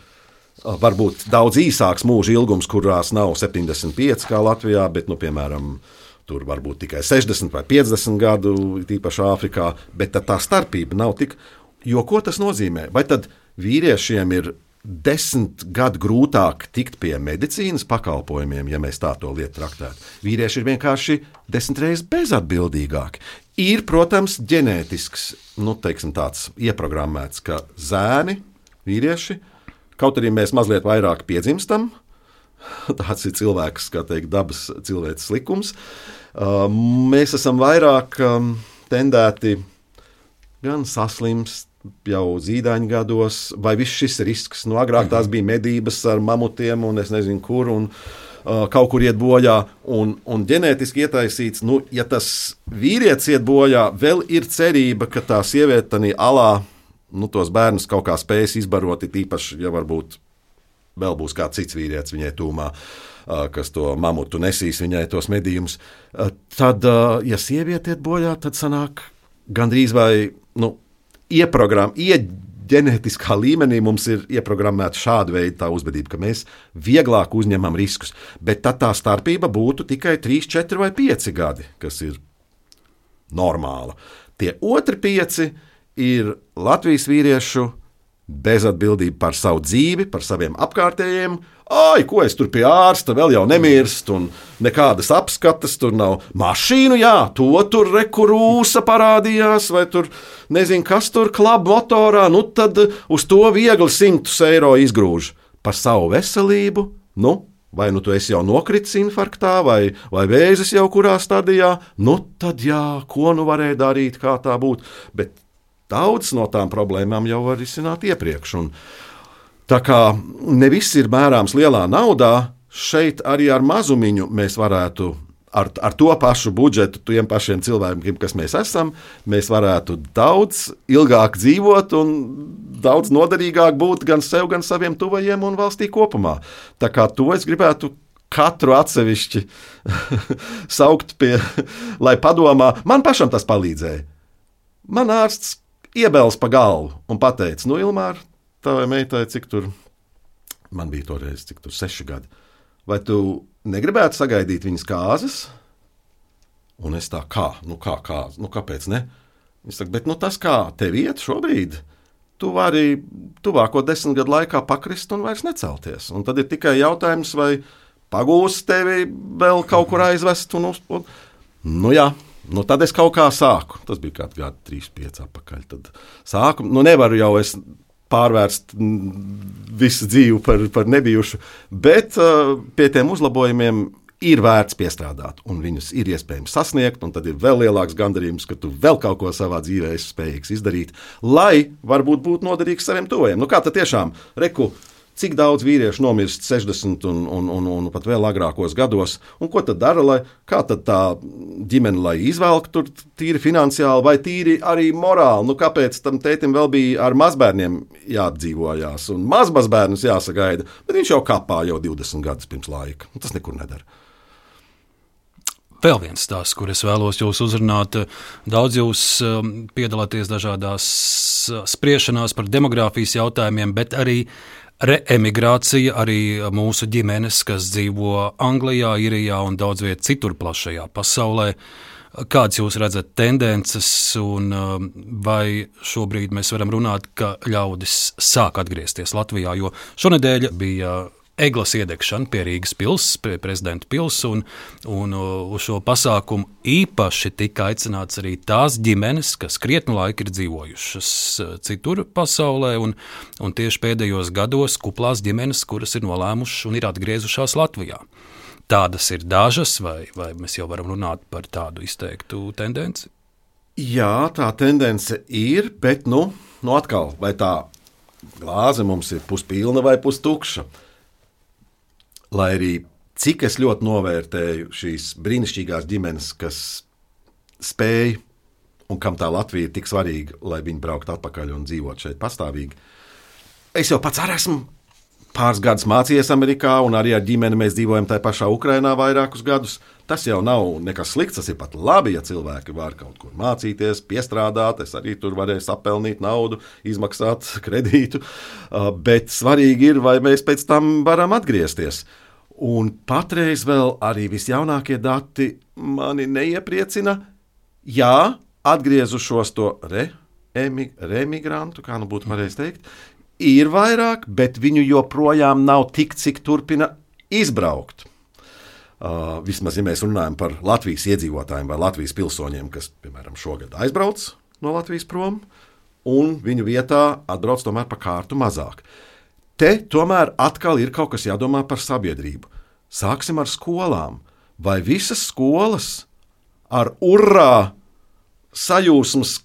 [SPEAKER 2] varbūt daudz īsāks mūža ilgums, kurās nav septiņdesmit pieci kā Latvijā, bet, nu, piemēram, tur varbūt tikai sešdesmit vai piecdesmit gadu, tīpaši Āfrikā, bet tā starpība nav tik. Jo ko tas nozīmē? Vai tad vīriešiem ir desmit gadu grūtāk tikt pie medicīnas pakalpojumiem, ja mēs tā to lietu traktētu. Vīrieši ir vienkārši desmit reizes bezatbildīgāki. Ir, protams, ģenētisks, nu, teiksim tāds ieprogrammēts, ka zēni, vīrieši, kaut arī mēs mazliet vairāk piedzimstam, tāds ir cilvēks, kā teikt, dabas cilvēces likums, mēs esam vairāk tendēti gan saslimst, jau zīdaiņu gados, vai viss šis risks. Nu, agrāk tās bija medības ar mamutiem, un es nezinu, kur, un uh, kaut kur iet bojā, un, un ģenētiski ietaisīts, nu, ja tas vīrietis iet bojā, vēl ir cerība, ka tā sieviete tanī alā, nu, tos bērnus kaut kā spējas izbarot, īpaši, ja varbūt vēl būs kāds cits vīrietis viņai tūmā, uh, kas to mamutu nesīs viņai tos medījumus. Uh, tad, uh, ja sieviete iet bojā, tad sanāk gandrīz vai, nu, ieprogram, ieģenētiskā līmenī mums ir ieprogrammēta šāda veida tā uzvedība, ka mēs vieglāk uzņemam riskus. Bet tad tā starpība būtu tikai trīs, četri vai pieci gadi, kas ir normāla. Tie otri pieci ir Latvijas vīriešu bezatbildība par savu dzīvi, par saviem apkārtējiem. Ai, ko es tur pie ārsta, vēl jau nemirst, un nekādas apskates, tur nav mašīnu, jā, to tur rekurūsa parādījās, vai tur nezinu, kas tur klaba motorā, nu tad uz to viegli simtus eiro izgrūž. Par savu veselību, nu, vai nu tu esi jau nokritis infarktā, vai, vai vēzis jau kurā stadijā, nu tad jā, ko nu varēja darīt, kā tā būtu, bet daudz no tām problēmām jau var risināt iepriekš, un tā kā ne viss ir mērāms lielā naudā, šeit arī ar mazumiņu mēs varētu, ar, ar to pašu budžetu, tiem pašiem cilvēkiem, kas mēs esam, mēs varētu daudz ilgāk dzīvot un daudz noderīgāk būt gan sev, gan saviem tuvajiem un valstī kopumā. Tā kā to es gribētu katru atsevišķi saukt pie, lai padomā. Man pašam tas palīdzēja. Man ārsts iebels pa galvu un pateica, nu, Ilmār, tavai meitai, cik tur, man bija toreiz, cik tur seši gadi, vai tu negribētu sagaidīt viņas kāzas? Un es tā, kā, nu kā kāzas, nu kāpēc ne? Viņš saka, bet nu tas kā tev iet šobrīd, tu vari tuvāko desmit gadu laikā pakrist un vairs necelties. Un tad ir tikai jautājums, vai pagūs tevi vēl kaut kur aizvest un uz... Nu jā. Nu, tad es kaut kā sāku. Tas bija kāds gadi, trīs, pieci apakaļ. Tad sāku. Nu, nevaru jau es pārvērst visu dzīvi par, par nebijušu, bet uh, pie tiem uzlabojumiem ir vērts piestrādāt, un viņus ir iespējams sasniegt, un tad ir vēl lielāks gandarījums, ka tu vēl kaut ko savā dzīvē esi spējīgs izdarīt, lai varbūt būtu noderīgs saviem tuvajiem. Nu, kā tad tiešām, reku, cik daudz vīriešu nomirst sešdesmit un, un, un, un pat vēl agrākos gados, un ko tad dara, lai, kā tad tā ģimene, lai izvelk tur tīri finansiāli vai tīri arī morāli, nu kāpēc tam tētim vēl bija ar mazbērniem jāapdzīvojās, un mazmazbērnus jāsagaida, bet viņš jau kapā jau divdesmit gadus pirms laika, tas nekur nedara.
[SPEAKER 1] Vēl viens stāsts, kur es vēlos jūs uzrunāt. Daudz jūs piedalāties dažādās spriešanās par demogrāfijas jautājumiem, bet arī reemigrācija, arī mūsu ģimenes, kas dzīvo Anglijā, Irijā un daudz viet citur plašajā pasaulē. Kādas jūs redzat tendences, un vai šobrīd mēs varam runāt, ka ļaudis sāk atgriezties Latvijā, jo šonedēļ bija eglas iedegšana pie Rīgas pils, pie prezidenta pils, un, un uz šo pasākumu īpaši tika aicināts arī tās ģimenes, kas krietnu laiku ir dzīvojušas citur pasaulē, un, un tieši pēdējos gados kuplās ģimenes, kuras ir nolēmušas un ir atgriezušās Latvijā. Tādas ir dažas, vai, vai mēs jau varam runāt par tādu izteiktu tendenci?
[SPEAKER 2] Jā, tā tendence ir, bet nu, nu atkal, vai tā glāze mums ir puspilna vai pustukša. Lai arī cik es ļoti novērtēju šīs brīnišķīgās ģimenes, kas spēj un kam tā Latvija ir tik svarīga, lai viņi brauktu atpakaļ un dzīvot šeit pastāvīgi. Es jau pats arī esmu pāris gadus mācījies Amerikā, un arī ar ģimeni mēs dzīvojam tajā pašā Ukrainā vairākus gadus. Tas jau nav nekas slikts, tas ir pat labi, ja cilvēki var kaut kur mācīties, piestrādāt. Es arī tur varēju sapelnīt naudu, izmaksāt kredītu, bet svarīgi ir, vai mēs pēc tam varam atgriezties. Un patreiz vēl arī visjaunākie dati mani neiepriecina. Jā, atgriezušos to re, emi, remigrantu, kā nu būtu pareizi teikt, ir vairāk, bet viņu joprojām nav tik, cik turpina izbraukt. Uh, vismaz, ja mēs runājam par Latvijas iedzīvotājiem vai Latvijas pilsoņiem, kas, piemēram, šogad aizbrauc no Latvijas prom, un viņu vietā atbrauc tomēr pa kārtu mazāk. Te tomēr atkal ir kaut kas jādomā par sabiedrību. Sāksim ar skolām. Vai visas skolas ar urrā sajūsmas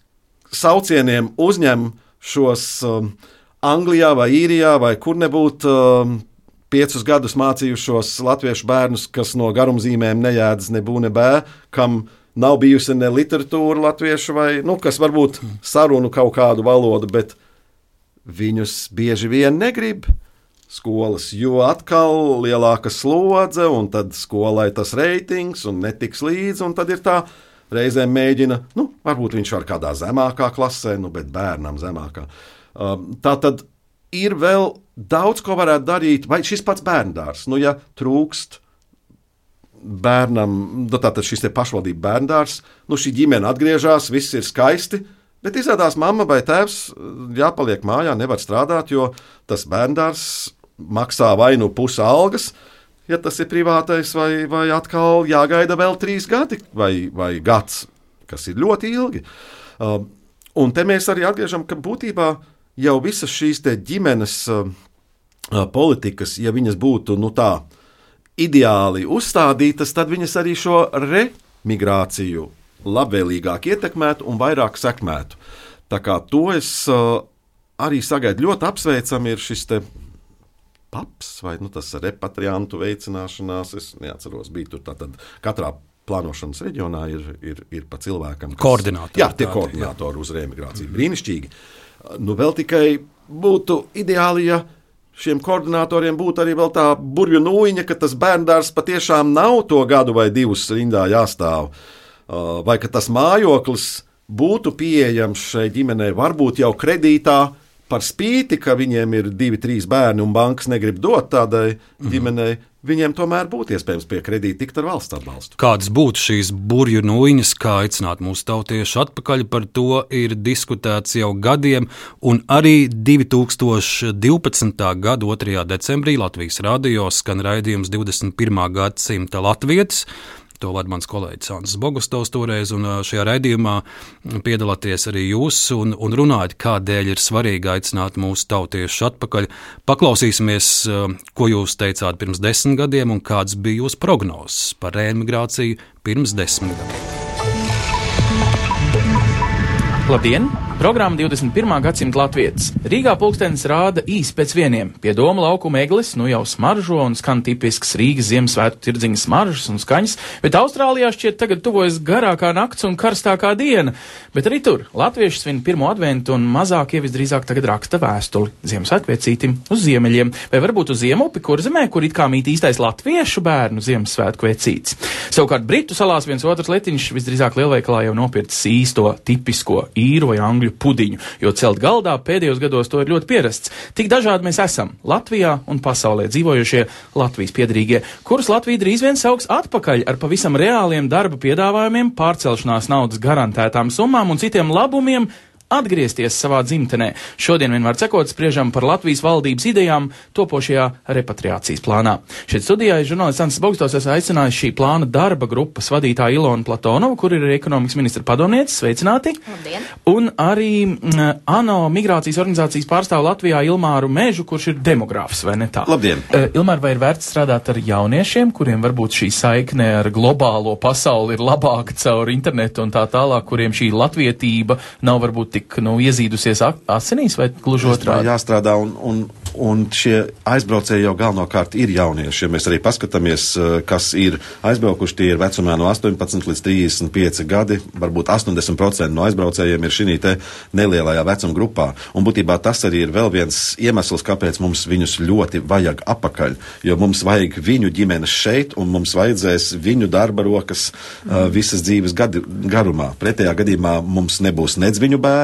[SPEAKER 2] saucieniem uzņem šos um, Anglijā vai Īrijā vai kur nebūtu um, piecus gadus mācījušos latviešu bērnus, kas no garumzīmēm nejēdz ne bū ne bē, kam nav bijusi ne literatūra latviešu vai, nu, kas varbūt sarunu kaut kādu valodu, bet viņus bieži vien negrib skolas, jo atkal lielāka slodze, un tad skolai tas reitings un netiks līdzi, un tad ir tā reizēm mēģina, nu, varbūt viņš var kādā zemākā klasē, nu, bet bērnam zemākā. Tā tad ir vēl daudz, ko varētu darīt, vai šis pats bērndārs, nu, ja trūkst bērnam, tātad šis te pašvaldība bērndārs, nu, šī ģimene atgriežas, viss ir skaisti, bet izrādās mamma vai tēvs jāpaliek mājā, nevar strādāt, jo tas bērndārs maksā vai nu pusi algas, ja tas ir privātais, vai, vai atkal jāgaida vēl trīs gadi vai, vai gads, kas ir ļoti ilgi. Uh, un te mēs arī atgriežam, ka būtībā jau visas šīs te ģimenes uh, politikas, ja viņas būtu nu tā ideāli uzstādītas, tad viņas arī šo remigrāciju labvēlīgāk ietekmētu un vairāk sekmētu. Tā kā to es uh, arī sagaidu. Ļoti apsveicam ir šis te paps, vai nu, tas repatriantu veicināšanās, es neatceros, bija tur tātad katrā plānošanas reģionā ir, ir, ir pa cilvēkam. Kas,
[SPEAKER 1] koordinātori.
[SPEAKER 2] Jā, tie koordinātori uz reemigrāciju. Mm-hmm. Brīnišķīgi. Nu, vēl tikai būtu ideāli, ja šiem koordinātoriem būtu arī vēl tā burvju nūjiņa, ka tas bērndārs patiešām nav to gadu vai divus rindā jāstāv. Vai ka tas mājoklis būtu pieejams šai ģimenei, varbūt jau kredītā, par spīti, ka viņiem ir divi, trīs bērni un bankas negrib dot tādai mm-hmm. ģimenei, viņiem tomēr būtu iespējams pie kredīta tikt ar valsts atbalstu.
[SPEAKER 1] Kādas būtu šīs burju nūjiņas, kā aicināt mūsu tautiešu atpakaļ, par to ir diskutēts jau gadiem, un arī divi tūkstoši divpadsmitā gada otrajā decembrī Latvijas radio skan raidījums divdesmit pirmā gadsimta latvietis. To vada mans kolēģis Andris Bogustovs toreiz, un šajā raidījumā piedalāties arī jūs un, un runājat, kādēļ ir svarīgi aicināt mūsu tautiešus atpakaļ. Paklausīsimies, ko jūs teicāt pirms desmit gadiem un kāds bija jūsu prognozes par reemigrāciju pirms desmit gadiem.
[SPEAKER 6] Labdien! Programma divdesmit pirmā gadsimta latvietis. Rīgā pulkstenis rāda īsi pēc vieniem. Pie Doma laukuma eglis nu jau smaržo un skan tipisks Rīgas Ziemassvētku tirdziņa smaržas un skaņas, bet Austrālijā šķiet tagad tuvojas garākā nakts un karstākā diena. Bet arī tur latvieši svin pirmo adventu un mazākie visdrīzāk tagad raksta vēstuli Ziemassvētku vecītim uz ziemeļiem, vai varbūt uz Ziemupi, kur zemē, kur it kā mīt īstais latviešu bērnu Ziemassvētku vecītis. Savukārt Britu salās viens otrs letiņš visdrīzāk lielveikalā jau nopircis īsto tipisko īru vai angļu pudiņu, jo celt galdā pēdējos gados to ir ļoti pierasts. Tik dažādi mēs esam Latvijā un pasaulē dzīvojušie Latvijas piedarīgie, kurus Latvija drīz vien sauks atpakaļ ar pavisam reāliem darba piedāvājumiem, pārcelšanās naudas garantētām summām un citiem labumiem, atgriezties savā dzimtenē. Šodien vienmēr cekot spriežam par Latvijas valdības idejām topošajā repatriācijas plānā. Šeit studijā ir žurnālists Ansis Bogstovs, es aicināju šī plāna darba grupas vadītāju Ilonu Platonova, kur ir ekonomikas ministra padomniece, sveicināti.
[SPEAKER 7] Labdien.
[SPEAKER 6] Un arī mm, ANO migrācijas organizācijas pārstāvu Latvijā Ilmāru Mežu, kurš ir demogrāfs, vai ne tā?
[SPEAKER 2] Labdien.
[SPEAKER 6] Uh, Ilmār, vai ir vērts strādāt ar jauniešiem, kuriem varbūt šī saikne ar globālo pasauli ir labāka caur internetu un tā tālāk, kuriem šī latvietība nav varbūt tik nu, iezīdusies asinīs, vai gluži otrādi?
[SPEAKER 2] Jāstrādā, un, un, un šie aizbraucēji jau galvenokārt ir jaunieši. Ja mēs arī paskatāmies, kas ir aizbraukuši, tie ir vecumā no astoņpadsmit līdz trīsdesmit pieci gadi, varbūt astoņdesmit procenti no aizbraucējiem ir šī te nelielajā vecuma grupā. Un būtībā tas arī ir vēl viens iemesls, kāpēc mums viņus ļoti vajag apakaļ, jo mums vajag viņu ģimenes šeit, un mums vajadzēs viņu darba rokas uh, visas dzīves gadi, garumā. Pretējā gadījumā mums nebūs nedz viņu bērnu,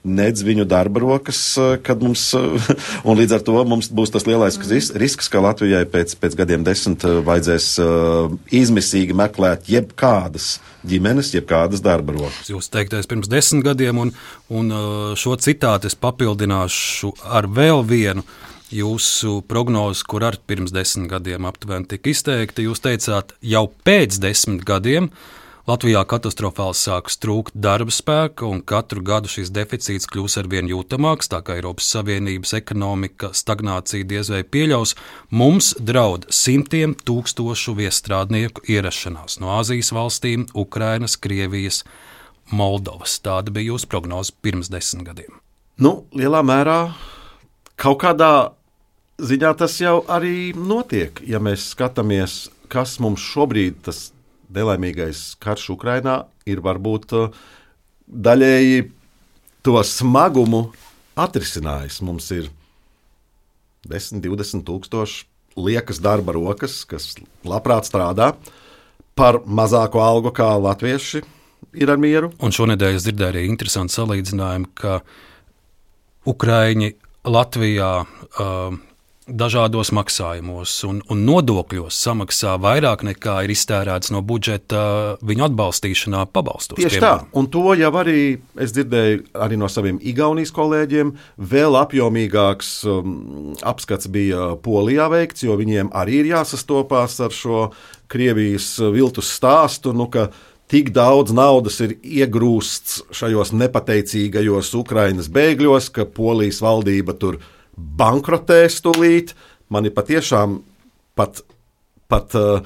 [SPEAKER 2] nedz viņu darba rokas, kad mums, un līdz ar to mums būs tas lielais risks, ka Latvijai pēc, pēc gadiem desmit vajadzēs uh, izmisīgi meklēt jebkādas ģimenes, jebkādas darba rokas.
[SPEAKER 1] Jūs teiktais pirms desmit gadiem, un, un šo citātu es papildināšu ar vēl vienu jūsu prognozi, kur ar pirms desmit gadiem aptuveni tika izteikta. Jūs teicāt, jau pēc desmit gadiem Latvijā katastrofāli sāks trūkt darba spēka, un katru gadu šis deficīts kļūs arvien jūtamāks, tā kā Eiropas Savienības ekonomika stagnācija diez vai pieļaus. Mums draud simtiem tūkstošu viestrādnieku ierašanās no Āzijas valstīm, Ukrainas, Krievijas, Moldovas. Tāda bija jūsu prognoze pirms desmit gadiem.
[SPEAKER 2] Nu, lielā mērā kaut kādā ziņā tas jau arī notiek. Ja mēs skatāmies, kas mums šobrīd tas nelaimīgais karš Ukrainā ir varbūt daļēji to smagumu atrisinājis. Mums ir desmit, divdesmit tūkstoši liekas darba rokas, kas labprāt strādā par mazāku algu kā latvieši ir ar mieru.
[SPEAKER 1] Un šonedēļ es dzirdēju arī interesantu salīdzinājumu, ka Ukraiņi Latvijā uh, dažādos maksājumos un, un nodokļos samaksā vairāk nekā ir iztērēts no budžeta viņu atbalstīšanā pabalstos.
[SPEAKER 2] Tieši piemēram. Tā, un to jau arī es dzirdēju arī no saviem Igaunijas kolēģiem. Vēl apjomīgāks um, apskats bija Polijā veikts, jo viņiem arī ir jāsastopās ar šo Krievijas viltus stāstu, nu, ka tik daudz naudas ir iegrūsts šajos nepateicīgajos Ukrainas bēgļos, ka Polijas valdība tur bankrotēs tūlīt. Mani patiešām pat, pat uh,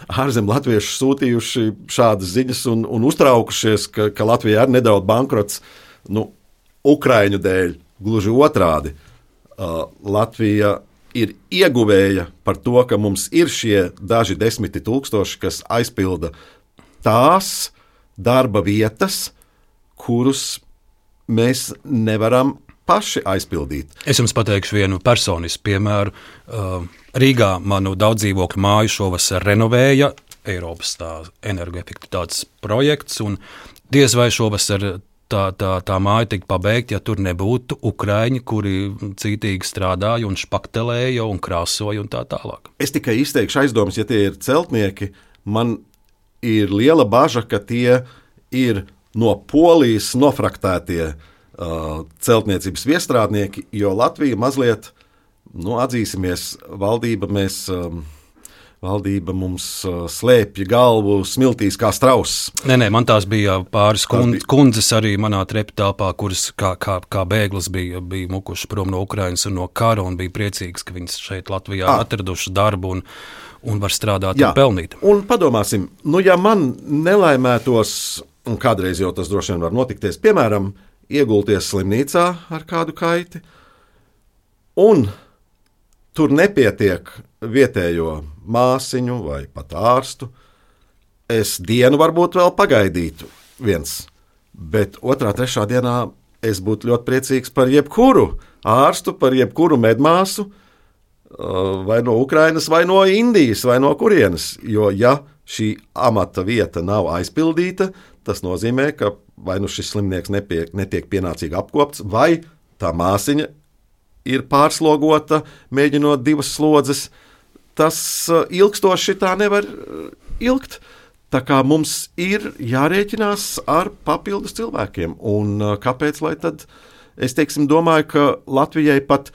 [SPEAKER 2] ārzem latvieši sūtījuši šādas ziņas un, un uztraukušies, ka, ka Latvijā ir nedaudz bankrots, nu, Ukraiņu dēļ. Gluži otrādi. Uh, Latvija ir ieguvēja par to, ka mums ir šie daži desmiti tūkstoši, kas aizpilda tās darba vietas, kurus mēs nevaram paši aizpildīt.
[SPEAKER 1] Es jums pateikšu vienu personisku piemēru. Rīgā manu daudzdzīvokļu māju šovasar renovēja Eiropas energoefektivitātes projekts, un diez vai šovasar tā, tā, tā māja tika pabeigta, ja tur nebūtu ukraiņi, kuri cītīgi strādāja un špaktelēja un krāsoja un tā tālāk. Es
[SPEAKER 2] tikai izteikšu aizdomas, ja tie ir celtnieki, man ir liela baža, ka tie ir no Polijas nofraktētie celtniecības viestrādnieki, jo Latvija mazliet, nu, atzīsimies, valdība, mēs, valdība mums slēpja galvu smiltīs kā strauss.
[SPEAKER 1] Nē, nē, man tās bija pāris kund, bija... kundzes arī manā treptāpā, kuras kā, kā, kā bēglis bija, bija mukuši prom no Ukrainas un no kara, un bija priecīgs, ka viņas šeit Latvijā à. atraduši darbu un, un var strādāt Jā. un pelnīt.
[SPEAKER 2] Un padomāsim, nu, ja man nelaimētos, un kādreiz jau tas droši vien var notikties, piemēram, iegulties slimnīcā ar kādu kaiti, un tur nepietiek vietējo māsiņu vai pat ārstu, es dienu varbūt vēl pagaidītu viens, bet otrā, trešā dienā es būtu ļoti priecīgs par jebkuru ārstu, par jebkuru medmāsu, vai no Ukrainas, vai no Indijas, vai no kurienes, jo ja šī amata vieta nav aizpildīta, tas nozīmē, ka vai nu šis slimnieks nepie, netiek pienācīgi apkopts, vai tā māsiņa ir pārslogota, mēģinot divas slodzes. Tas ilgstoši tā nevar ilgt. Tā kā mums ir jārēķinās ar papildus cilvēkiem. Un kāpēc, lai tad, es teiksim, domāju, ka Latvijai pat,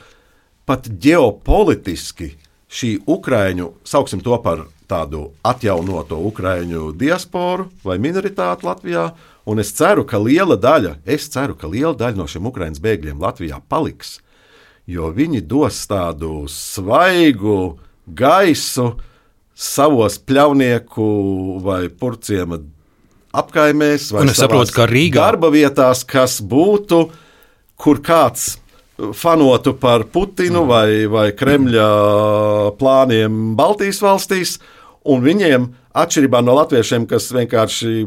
[SPEAKER 2] pat ģeopolitiski šī Ukraiņu, sauksim to par tādu atjaunoto Ukraiņu diasporu vai minoritāti Latvijā, un es ceru, ka liela daļa, es ceru, ka liela daļa no šiem Ukraiņas bēgļiem Latvijā paliks, jo viņi dos tādu svaigu gaisu savos pļaunieku vai purciema apkaimēs vai
[SPEAKER 1] saprotu,
[SPEAKER 2] darba vietās, kas būtu, kur kāds fanotu par Putinu mm. vai, vai Kremļa plāniem Baltijas valstīs, un viņiem, atšķirībā no latviešiem, kas vienkārši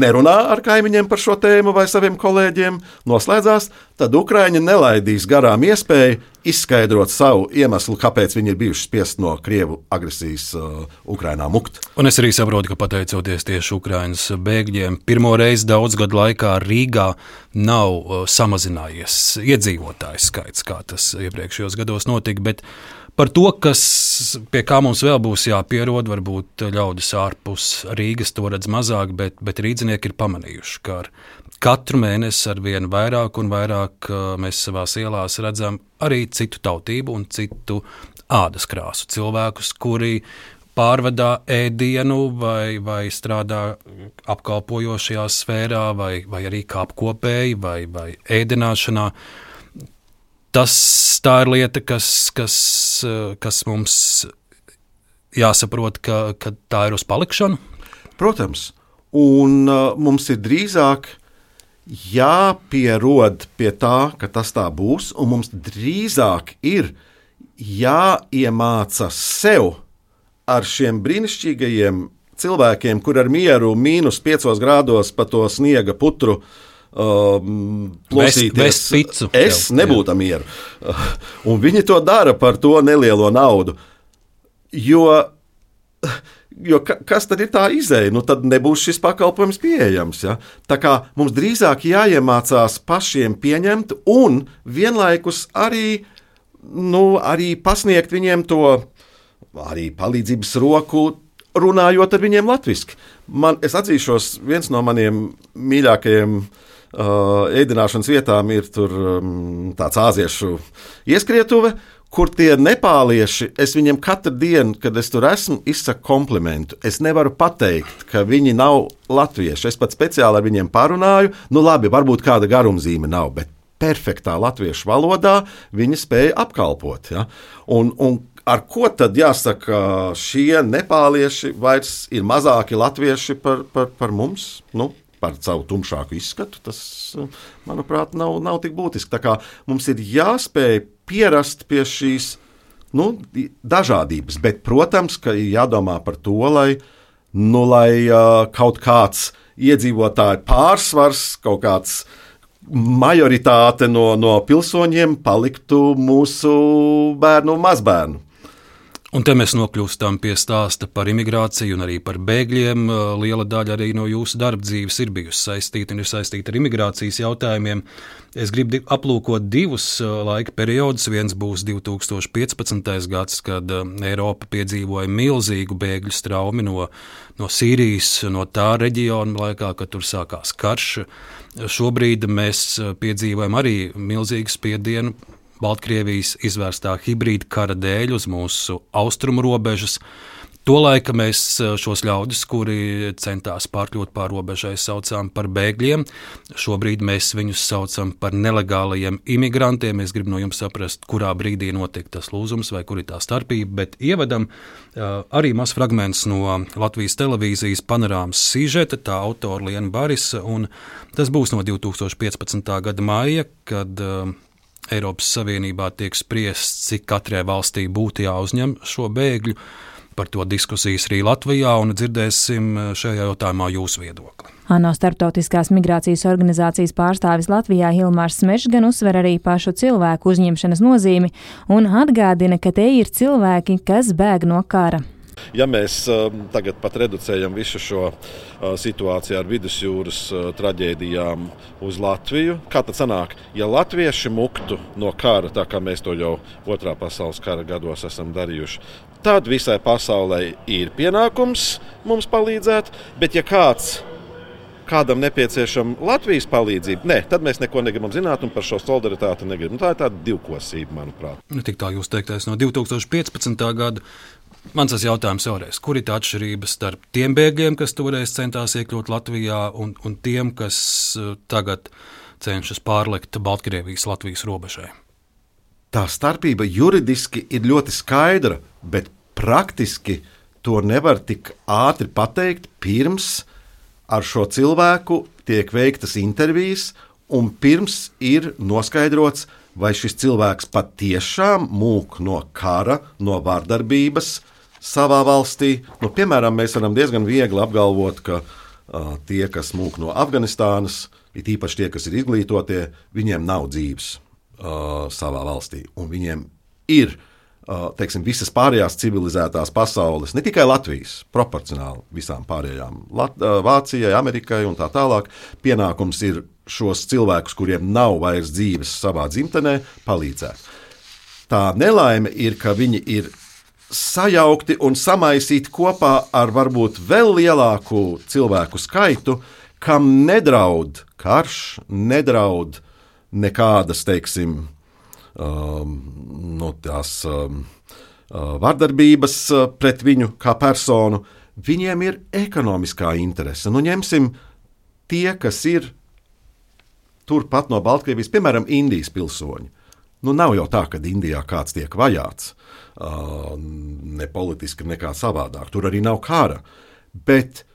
[SPEAKER 2] nerunā ar kaimiņiem par šo tēmu vai saviem kolēģiem, noslēdzās, tad Ukraiņi nelaidīs garām iespēju izskaidrot savu iemeslu, kāpēc viņi ir bijuši spiest no Krievu agresijas uh, Ukrainā mukt.
[SPEAKER 1] Un es arī saprotu, ka pateicoties tieši Ukrainas bēgļiem, pirmo reizi daudz gadu laikā Rīgā nav uh, samazinājies iedzīvotājs skaits, kā tas iepriekšējos gados notika, bet par to, kas, pie kā mums vēl būs jāpierod, varbūt ļaudis ārpus Rīgas to redz mazāk, bet, bet rīdzinieki ir pamanījuši, ka ar katru mēnesi ar vien vairāk un vairāk mēs savās ielās redzam arī citu tautību un citu ādas krāsu cilvēkus, kuri pārvadā ēdienu vai, vai strādā apkalpojošajā sfērā vai, vai arī kā apkopēji vai, vai ēdināšanā. Tas tā ir lieta, kas, kas, kas mums jāsaprot, ka, ka tā ir uz palikšanu?
[SPEAKER 2] Protams, un uh, mums ir drīzāk jāpierod pie tā, ka tas tā būs, un mums drīzāk ir jāiemāca sev ar šiem brīnišķīgajiem cilvēkiem, kur ar mieru mīnus piecos grādos pa to sniega putru Um, plosīties,
[SPEAKER 1] picu,
[SPEAKER 2] es
[SPEAKER 1] jau,
[SPEAKER 2] nebūtu mieru. Uh, un viņi to dara par to nelielo naudu. Jo, jo ka, kas tad ir tā izeja? Nu, tad nebūs šis pakalpojums pieejams. Ja? Tā kā mums drīzāk jāiemācās pašiem pieņemt un vienlaikus arī, nu, arī pasniegt viņiem to arī palīdzības roku, runājot ar viņiem latviski. Man, es atzīšos, viens no maniem mīļākajiem Uh, ēdināšanas vietām ir tur um, tāds āziešu ieskrietuve, kur tie nepālieši, es viņiem katru dienu, kad es tur esmu, izsaku komplimentu. Es nevaru pateikt, ka viņi nav latvieši. Es pat speciāli ar viņiem parunāju. Nu labi, varbūt kāda garumzīme nav, bet perfektā latviešu valodā viņi spēja apkalpot. Ja? Un, un ar ko tad jāsaka, šie nepālieši vairs ir mazāki latvieši par, par, par mums? Nu, par savu tumšāku izskatu, tas, manuprāt, nav, nav tik būtiski. Tā kā mums ir jāspēj pierast pie šīs nu, dažādības, bet, protams, ka ir jādomā par to, lai, nu, lai uh, kaut kāds iedzīvotāju pārsvars, kaut kāds majoritāte no, no pilsoņiem paliktu mūsu bērnu un mazbērnu.
[SPEAKER 1] Un te mēs nokļūstam pie stāsta par imigrāciju un arī par bēgļiem. Liela daļa arī no jūsu darba dzīves ir bijusi saistīta un ir saistīta ar imigrācijas jautājumiem. Es gribu aplūkot divus laika periodus. Viens būs divi tūkstoši piecpadsmitais gads, kad Eiropa piedzīvoja milzīgu bēgļu straumi no, no Sīrijas, no tā reģiona laikā, kad tur sākās karš. Šobrīd mēs piedzīvojam arī milzīgu spiedienu Baltkrievijas izvērstā hibrīda kara dēļ uz mūsu austrumu robežas. Tolaika mēs šos ļaudis, kuri centās pārkļūt pār robežai, saucām par bēgļiem. Šobrīd mēs viņus saucam par nelegālajiem imigrantiem. Es gribu no jums saprast, kurā brīdī notiek tas lūzums vai kur ir tā starpība, bet ievadam arī maz fragments no Latvijas televīzijas panorāmas sižeta, tā autora Liena Barisa, un tas būs no divi tūkstoši piecpadsmitā gada maija, kad Eiropas Savienībā tiek spriests, cik katrai valstī būtu jāuzņem šo bēgļu. Par to diskusijas arī Latvijā, un dzirdēsim šajā jautājumā jūsu viedokli.
[SPEAKER 7] ANO Starptautiskās migrācijas organizācijas pārstāvis Latvijā Hilmārs Smešs gan uzsver arī pašu cilvēku uzņemšanas nozīmi un atgādina, ka te ir cilvēki, kas bēg no kara.
[SPEAKER 2] Ja mēs uh, tagad pat reducējam visu šo uh, situāciju ar vidusjūras uh, traģēdijām uz Latviju, kā tad sanāk, ja latvieši muktu no kara, tā kā mēs to jau otrā pasaules kara gados esam darījuši, tad visai pasaulē ir pienākums mums palīdzēt, bet ja kāds kādam nepieciešama Latvijas palīdzība, ne, tad mēs neko negribam zināt un par šo solidaritāti negribam. Tā ir tāda divkosība, manuprāt.
[SPEAKER 1] Tik tā jūs teiktais no divi tūkstoši piecpadsmitā gada. Mans tas jautājums vēlreiz, kur ir tā atšķirība starp tiem bēgļiem, kas toreiz centās iekļūt Latvijā, un, un tiem, kas tagad cenšas pārlikt Baltkrievijas Latvijas robežai?
[SPEAKER 2] Tā starpība juridiski ir ļoti skaidra, bet praktiski to nevar tik ātri pateikt pirms ar šo cilvēku tiek veiktas intervijas, un pirms ir noskaidrots, vai šis cilvēks patiešām mūk no kara, no vardarbības savā valstī. Nu, piemēram, mēs varam diezgan viegli apgalvot, ka uh, tie, kas mūk no Afganistānas, ir īpaši tie, kas ir izglītotie, viņiem nav dzīves uh, savā valstī, un viņiem ir teiksim, visas pārējās civilizētās pasaules, ne tikai Latvijas, proporcionāli visām pārējām, Lat- Vācijai, Amerikai un tā tālāk, pienākums ir šos cilvēkus, kuriem nav vairs dzīves savā dzimtenē, palīdzēt. Tā nelaime ir, ka viņi ir sajaukti un samaisīti kopā ar varbūt vēl lielāku cilvēku skaitu, kam nedraud karš, nedraud nekādas, teiksim, Um, no tās um, uh, vardarbības uh, pret viņu kā personu, viņiem ir ekonomiskā interese. Nu, ņemsim tie, kas ir turpat no Baltkrievijas, piemēram, Indijas pilsoņi. Nu, nav jau tā, ka Indijā kāds tiek vajāts, uh, ne politiski, nekā savādāk. Tur arī nav kara. Bet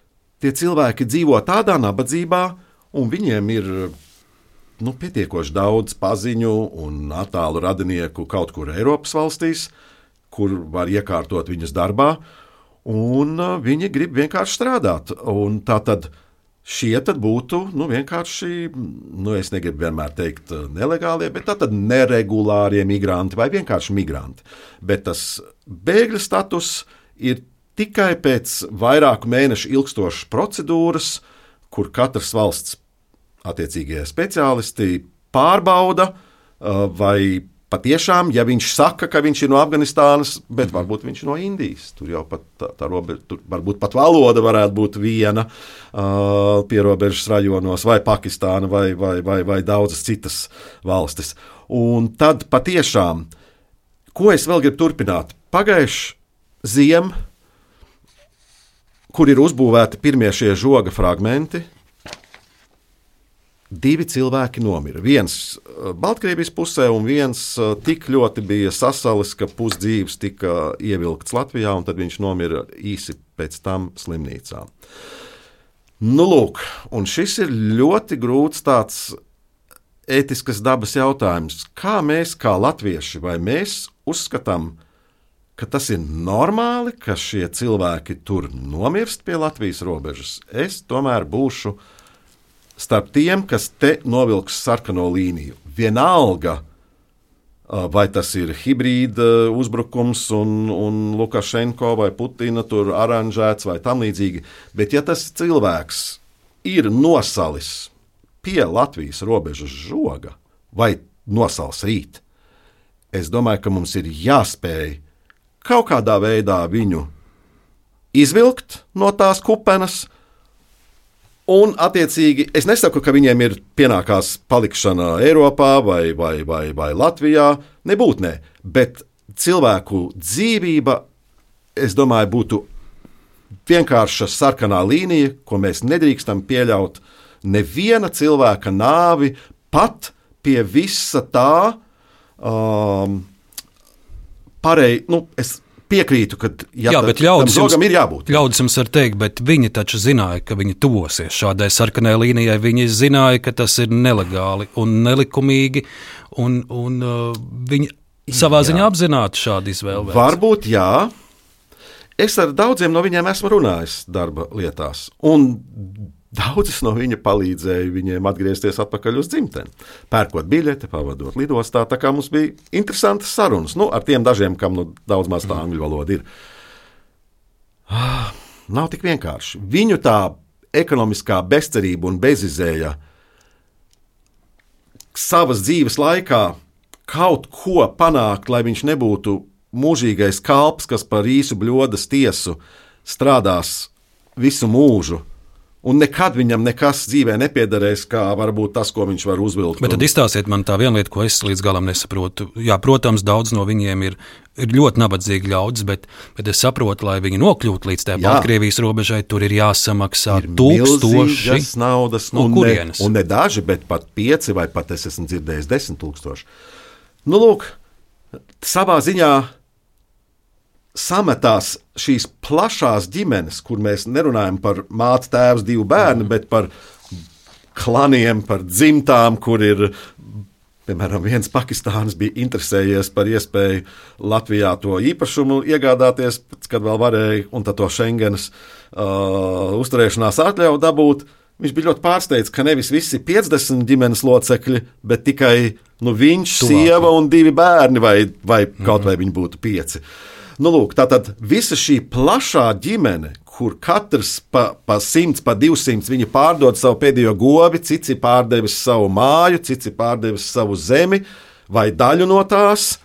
[SPEAKER 2] tie cilvēki dzīvo tādā nabadzībā, un viņiem ir Nu, pietiekoši daudz paziņu un attālu radinieku kaut kur Eiropas valstīs, kur var iekārtot viņus darbā, un viņi grib vienkārši strādāt. Un tā tad šie tad būtu nu, vienkārši, nu, es negribu vienmēr teikt nelegālie, bet tā tad neregulārie migranti vai vienkārši migranti. Bet tas bēgļu status ir tikai pēc vairāku mēnešu ilgstošas procedūras, kur katras valsts attiecīgie speciālisti pārbauda, vai patiešām, ja viņš saka, ka viņš ir no Afganistānas, bet varbūt viņš ir no Indijas. Tur jau pat tā, tā robeža, tur varbūt pat valoda varētu būt viena uh, pierobežas rajonos, vai Pakistāna, vai, vai, vai, vai daudzas citas valstis. Un tad patiešām, ko es vēl gribu turpināt? Pagājuši ziem, kur ir uzbūvēti pirmie šie žoga fragmenti, divi cilvēki nomira. Viens Baltkrievijas pusē un viens tik ļoti bija sasalis, ka pusdzīves tika ievilkts Latvijā, un tad viņš nomira īsi pēc tam slimnīcā. Nu, lūk, un šis ir ļoti grūts tāds ētiskas dabas jautājums. Kā mēs, kā latvieši, vai mēs uzskatām, ka tas ir normāli, ka šie cilvēki tur nomirst pie Latvijas robežas? Es tomēr būšu starp tiem, kas te novilks sarkano līniju. Vienalga, vai tas ir hibrīda uzbrukums un, un Lukašenko vai Putina tur aranžēts vai tam līdzīgi, bet ja tas cilvēks ir nosalis pie Latvijas robežas žoga vai nosals rīt, es domāju, ka mums ir jāspēj kaut kādā veidā viņu izvilkt no tās kupenes. Un, attiecīgi, es nesaku, ka viņiem ir pienākās palikšana Eiropā vai, vai, vai, vai Latvijā, nebūt ne, bet cilvēku dzīvība, es domāju, būtu vienkārša sarkanā līnija, ko mēs nedrīkstam pieļaut neviena cilvēka nāvi, pat pie visa tā um, pareizi, nu, es piekrītu, ka ja
[SPEAKER 1] jā, bet ļaudis jums,
[SPEAKER 2] ir jābūt.
[SPEAKER 1] Ļaudis jums var teikt, bet viņi taču zināja, ka viņi tuvosies šādai sarkanai līnijai. Viņi zināja, ka tas ir nelegāli un nelikumīgi, un, un uh, viņi savā jā. ziņā apzināti šādu izvēli.
[SPEAKER 2] Varbūt jā. Es ar daudziem no viņiem esmu runājis darba lietās, un daudzas no viņa palīdzēja viņiem atgriezties atpakaļ uz dzimteni, pērkot biļeti, pavadot lidostā, tā kā mums bija interesantas sarunas, nu, ar tiem dažiem, kam nu daudz maz tā angļu valoda ir. nav tik vienkārši. Viņu tā ekonomiskā bezcerība un bezizēja savas dzīves laikā kaut ko panākt, lai viņš nebūtu mūžīgais kalps, kas par īsu bļodas tiesu strādās visu mūžu. Un nekad viņam nekas dzīvē nepiederēs, kā varbūt tas, ko viņš var uzvilkt.
[SPEAKER 1] Bet tad izstāstiet man tā viena lieta, ko es līdz galam nesaprotu. Jā, protams, daudz no viņiem ir, ir ļoti nabadzīgi ļaudis, bet, bet es saprotu, lai viņi nokļūtu līdz tā Baltkrievijas robežai, tur ir jāsamaksā ir tūkstoši
[SPEAKER 2] naudas,
[SPEAKER 1] no
[SPEAKER 2] un
[SPEAKER 1] kurienes.
[SPEAKER 2] Ne, un ne daži, bet pat pieci vai pat es esmu dzirdējis desmit tūkstoši. Nu, lūk, savā ziņā sametās šīs plašās ģimenes, kur mēs nerunājam par māti, tēvs, divu bērnu, bet par klaniem, par dzimtām, kur ir, piemēram, viens Pakistānis bija interesējies par iespēju Latvijā to īpašumu iegādāties, kad vēl varēja, un tad to Schengenas uh, uzturēšanās atļauju dabūt. Viņš bija ļoti pārsteigts, ka nevis visi piecdesmit ģimenes locekļi, bet tikai nu, viņš, Tuvāk. sieva un divi bērni, vai, vai mm-hmm. kaut vai viņi būtu pieci. Nu, lūk, tātad visa šī plašā ģimene, kur katrs pa, pa simts, pa divsimts viņi pārdod savu pēdējo gobi, cits ir pārdevis savu māju, cits ir pārdevis savu zemi vai daļu no tās,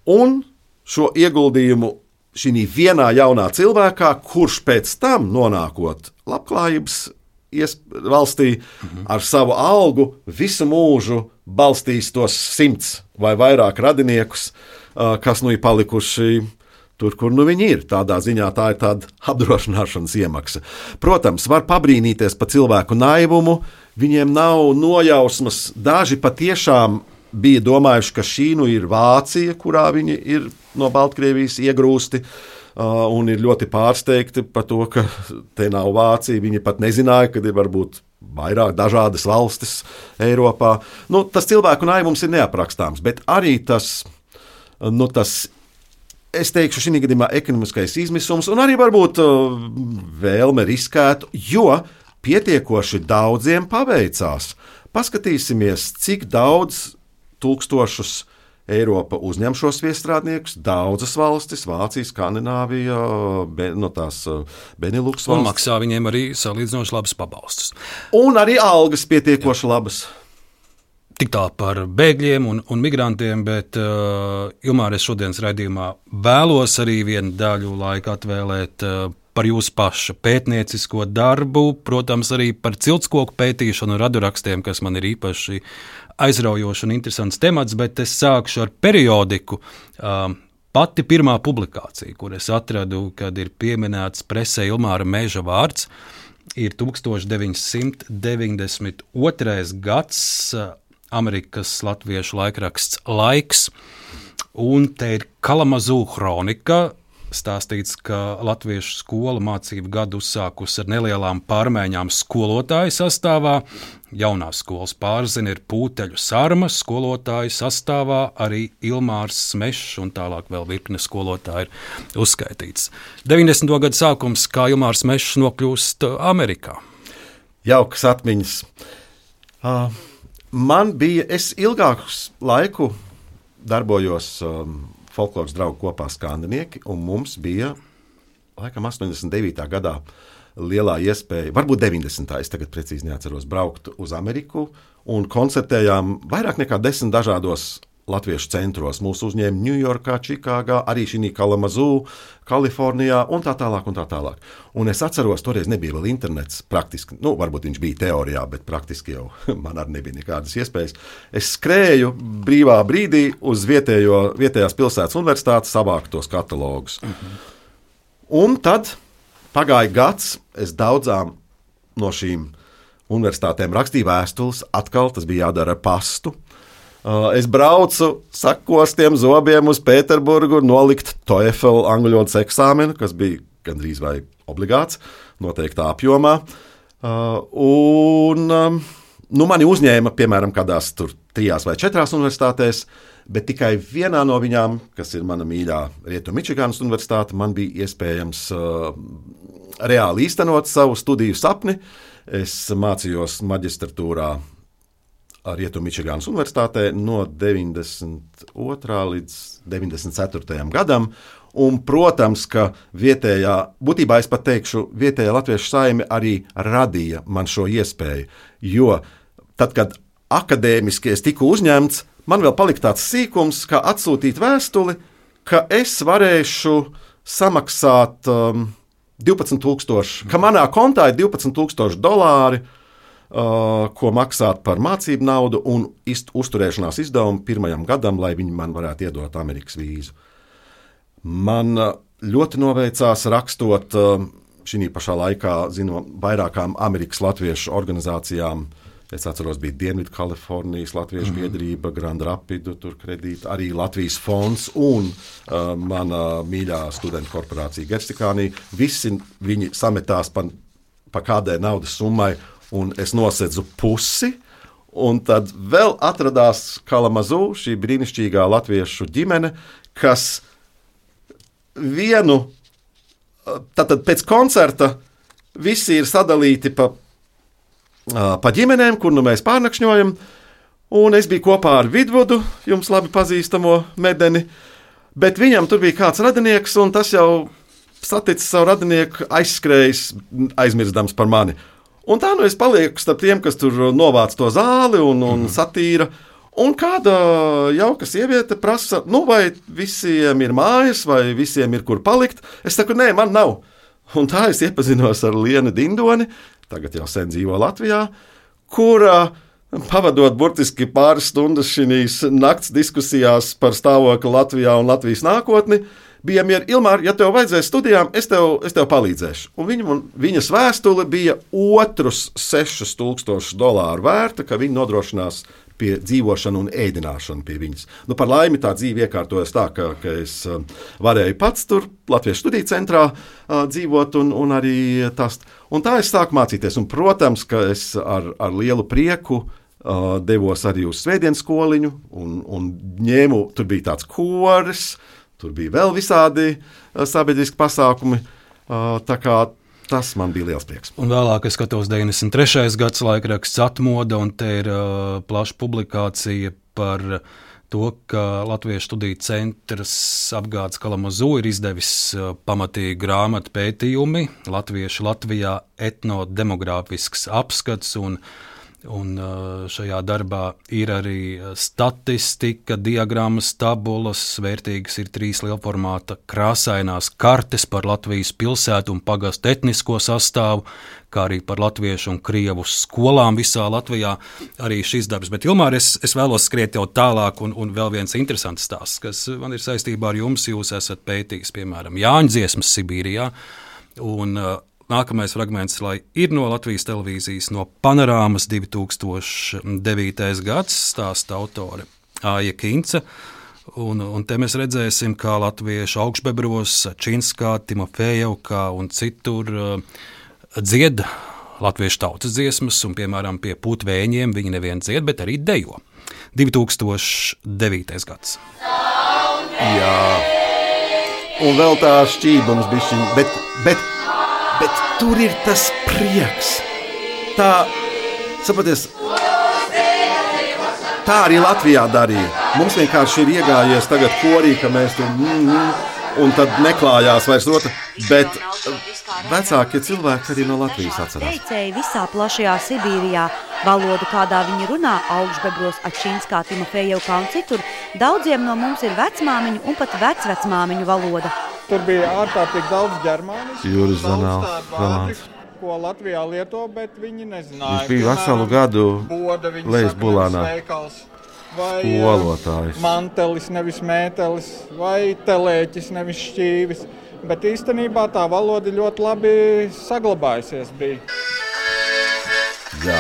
[SPEAKER 2] un šo ieguldījumu šī vienā jaunā cilvēkā, kurš pēc tam nonākot labklājības valstī mhm. ar savu algu visu mūžu balstīs tos simts vai vairāk radiniekus, kas nu ir palikuši tur, kur nu viņi ir. Tādā ziņā tā ir tāda apdrošināšanas iemaksa. Protams, var pabrīnīties par cilvēku naivumu, viņiem nav nojausmas, daži patiešām bija domājuši, ka šī nu ir Vācija, kurā viņi ir no Baltkrievijas iegrūsti, uh, un ir ļoti pārsteigti par to, ka te nav Vācija. Viņi pat nezināja, ka ir varbūt vairāk dažādas valstis Eiropā. Nu, tas cilvēku naivums ir neaprakstāms, bet arī tas, nu, tas es teikšu, šī gadījumā ekonomiskais izmisums un arī varbūt uh, vēlme riskēt, jo pietiekoši daudziem paveicās. Paskatīsimies, cik daudz tūkstošus Eiropa uzņem šos viestrādniekus, daudzas valstis, Vācija, Skandināvija, be, no tās Beneluks valstis.
[SPEAKER 1] Un maksā viņiem arī salīdzinoši labas pabalstus.
[SPEAKER 2] Un arī algas pietiekoši Jā. labas.
[SPEAKER 1] Tik tā par bēgļiem un, un migrantiem, bet uh, Ilmār, es šodienas raidījumā vēlos arī vienu daļu laika atvēlēt uh, par jūsu paša pētniecisko darbu, protams, arī par ciltskoku pētīšanu un radurakstiem, kas man ir īpaši aizraujoši un interesants temats, bet es sākšu ar periodiku. Uh, pati pirmā publikācija, kur es atradu, kad ir pieminēts presē Ilmāra Meža vārds, ir tukstovš deviņsimt deviņdesmit otrais gads, Amerikas latviešu laikraksts Laiks, un te ir Kalamazū kronika, stāstīts, ka latviešu skola mācību gadu uzsākus ar nelielām pārmaiņām skolotāju sastāvā. Jaunās skolas pārzina ir Pūteļu Sarma, skolotāju sastāvā arī Ilmārs Smešs un tālāk vēl virkne skolotāju ir uzskaitīts. deviņdesmito gadu sākums, kā Ilmārs Smešs nokļūst Amerikā.
[SPEAKER 2] Jaukas atmiņas. Uh. Man bija, es ilgāku laiku darbojos um, folkloras draugu kopā Skandinieki, un mums bija, laikam, astoņdesmit devītā gadā lielā iespēja, varbūt deviņdesmitā, es tagad precīzi neatceros, braukt uz Ameriku, un koncertējām vairāk nekā desmit dažādos latviešu centros. Mūs uzņēma Ņujorkā, Čikāgā, arī šī Kalamazū, Kalifornijā un tā tālāk un tā tālāk. Un es atceros, toreiz nebija vēl internets praktiski, nu, varbūt viņš bija teorijā, bet praktiski jau man arī nebija nekādas iespējas. Es skrēju brīvā brīdī uz vietējo, vietējās pilsētas universitātes savākt tos katalogus. Mhm. Un tad pagāja gads, es daudzām no šīm universitātēm rakstīju vēstules, atkal tas bija jādara ar pastu. Es braucu sakostiem zobiem uz Pēterburgu nolikt TOEFL angļu valodas eksāmenu, kas bija gandrīz vai obligāts, noteiktā apjomā. Un, nu, mani uzņēma, piemēram, kādās tur trijās vai četrās universitātēs, bet tikai vienā no viņām, kas ir mana mīļā Rietumu Mičiganas universitāte, man bija iespējams uh, reāli īstenot savu studiju sapni. Es mācījos maģistratūrā Rietumu Mičiganas universitātē no deviņdesmit otrā līdz deviņdesmit ceturtajam gadam, Un, protams, ka vietējā, būtībā es pat teikšu, vietējā latviešu saime arī radīja man šo iespēju, jo tad, kad akadēmiski es tiku uzņemts, man vēl palika tāds sīkums, kā atsūtīt vēstuli, ka es varēšu samaksāt um, divpadsmit tūkstoši, ka manā kontā ir divpadsmit tūkstoši dolāri, uh, ko maksāt par mācību naudu un ist, uzturēšanās izdevumu pirmajam gadam, lai viņi man varētu iedot Amerikas vīzu. Man ļoti noveicās rakstot šī pašā laikā, zinu, vairākām Amerikas latviešu organizācijām. Es atceros, bija Dienvidu Kalifornijas latviešu mm-hmm. biedrība, Grand Rapidu, tur kredīta, arī Latvijas fonds un uh, mana mīļā studentu korporācija Gerstikānī. Visi viņi sametās pa, pa kādai naudas summai, un es nosedzu pusi. Un tad vēl atradās Kalamazoo, šī brīnišķīgā latviešu ģimene, kas vienu, tātad pēc koncerta visi ir sadalīti pa, pa ģimenēm, kur nu mēs pārnakšņojam, un es biju kopā ar Vidvudu, jums labi pazīstamo medeni, bet viņam tur bija kāds radinieks, un tas jau saticis savu radinieku aizskrējis, aizmirstams par mani. Un tā nu es palieku starp tiem, kas tur novāc to zāli un, un satīra. Un kāda jauka sieviete prasa, nu vai visiem ir mājas, vai visiem ir kur palikt. Es saku, nē, man nav. Un tā es iepazinos ar Lienu Dindoni, tagad jau sen dzīvo Latvijā, kura pavadot burtiski pāris stundas šīs nakts diskusijās par stāvokli Latvijā un Latvijas nākotni, bija mieru, Ilmār, ja tev vajadzēs studijām, es tev, es tev palīdzēšu. Un viņa, viņas vēstule bija otrus sešus tūkstošus dolāru vērta, ka viņa nodrošinās pie dzīvošanu un ēdināšanu pie viņas. Nu, par laimi tā dzīve iekārtojas tā, ka, ka es uh, varēju pats tur Latviešu studiju centrā uh, dzīvot un, un arī tas. Un tā es sāku mācīties. Un, protams, ka es ar, ar lielu prieku uh, devos arī uz svētdienas skoliņu un, un ņēmu, tur bija tāds koris, tur bija vēl visādi uh, sabiedriski pasākumi. Uh, tā kā tas man bija liels prieks.
[SPEAKER 1] Un vēlāk es skatos deviņdesmit trešais gads laikraksts Atmoda, un te ir uh, plaša publikācija par to, ka Latviešu studiju centrs apgādes Kalamazoo ir izdevis uh, pamatīgu grāmatu pētījumi Latviešu Latvijā etnodemogrāfisks apskats, un Un šajā darbā ir arī statistika, diagrammas, tabulas, vērtīgas ir trīs lielformāta krāsainās kartes par Latvijas pilsētu un pagastu etnisko sastāvu, kā arī par latviešu un krievu skolām visā Latvijā. Arī šis darbs. Bet, Ilmār, es, es vēlos skriet jau tālāk, un, un vēl viens interesants stāsts, kas man ir saistībā ar jums. Jūs esat pētījis, piemēram, Jāņu dziesmas Sibīrijā, un nākamais fragments, lai ir no Latvijas televīzijas, no Panorāmas divi tūkstoši devītais gads, stāsta autore Aija Kinca. Un, un te mēs redzēsim, kā latviešu augšbebros, Činskā, Timofejevkā un citur uh, dzied latviešu tautas dziesmas, un, piemēram, pie putvēņiem viņi nevien dzied, bet arī dejo. divi tūkstoši devītais gads.
[SPEAKER 2] Jā, un vēl tā šķībums bišķiņ, bet, bet Bet tur ir tas prieks. Tā, saproties, tā arī Latvijā darīja. Mums vienkārši ir iegājies tagad korī, ka mēs tur mm, mm, un tad neklājās vairs otra. Bet vecākie cilvēki arī no Latvijas atcerās.
[SPEAKER 3] Teicēji visā plašajā Sibīrijā, valodu, kādā viņi runā, augšbebros, Ačinskā, Timofejevkā un citur, daudziem no mums ir vecmāmiņu un pat vecvecmāmiņu valoda.
[SPEAKER 8] Tur bija ārkārtīgi daudz ģermānisku,
[SPEAKER 2] Jūras
[SPEAKER 8] daudz tādu vārdu, ko Latvijā lieto, bet viņi nezināja.
[SPEAKER 2] Viņš bija veselu gadu lejas bulānā
[SPEAKER 8] skolotājs. Mantelis, nevis mētelis, vai telēķis, nevis šķīvis. Bet īstenībā tā valoda ļoti labi saglabājusies bija.
[SPEAKER 2] Jā,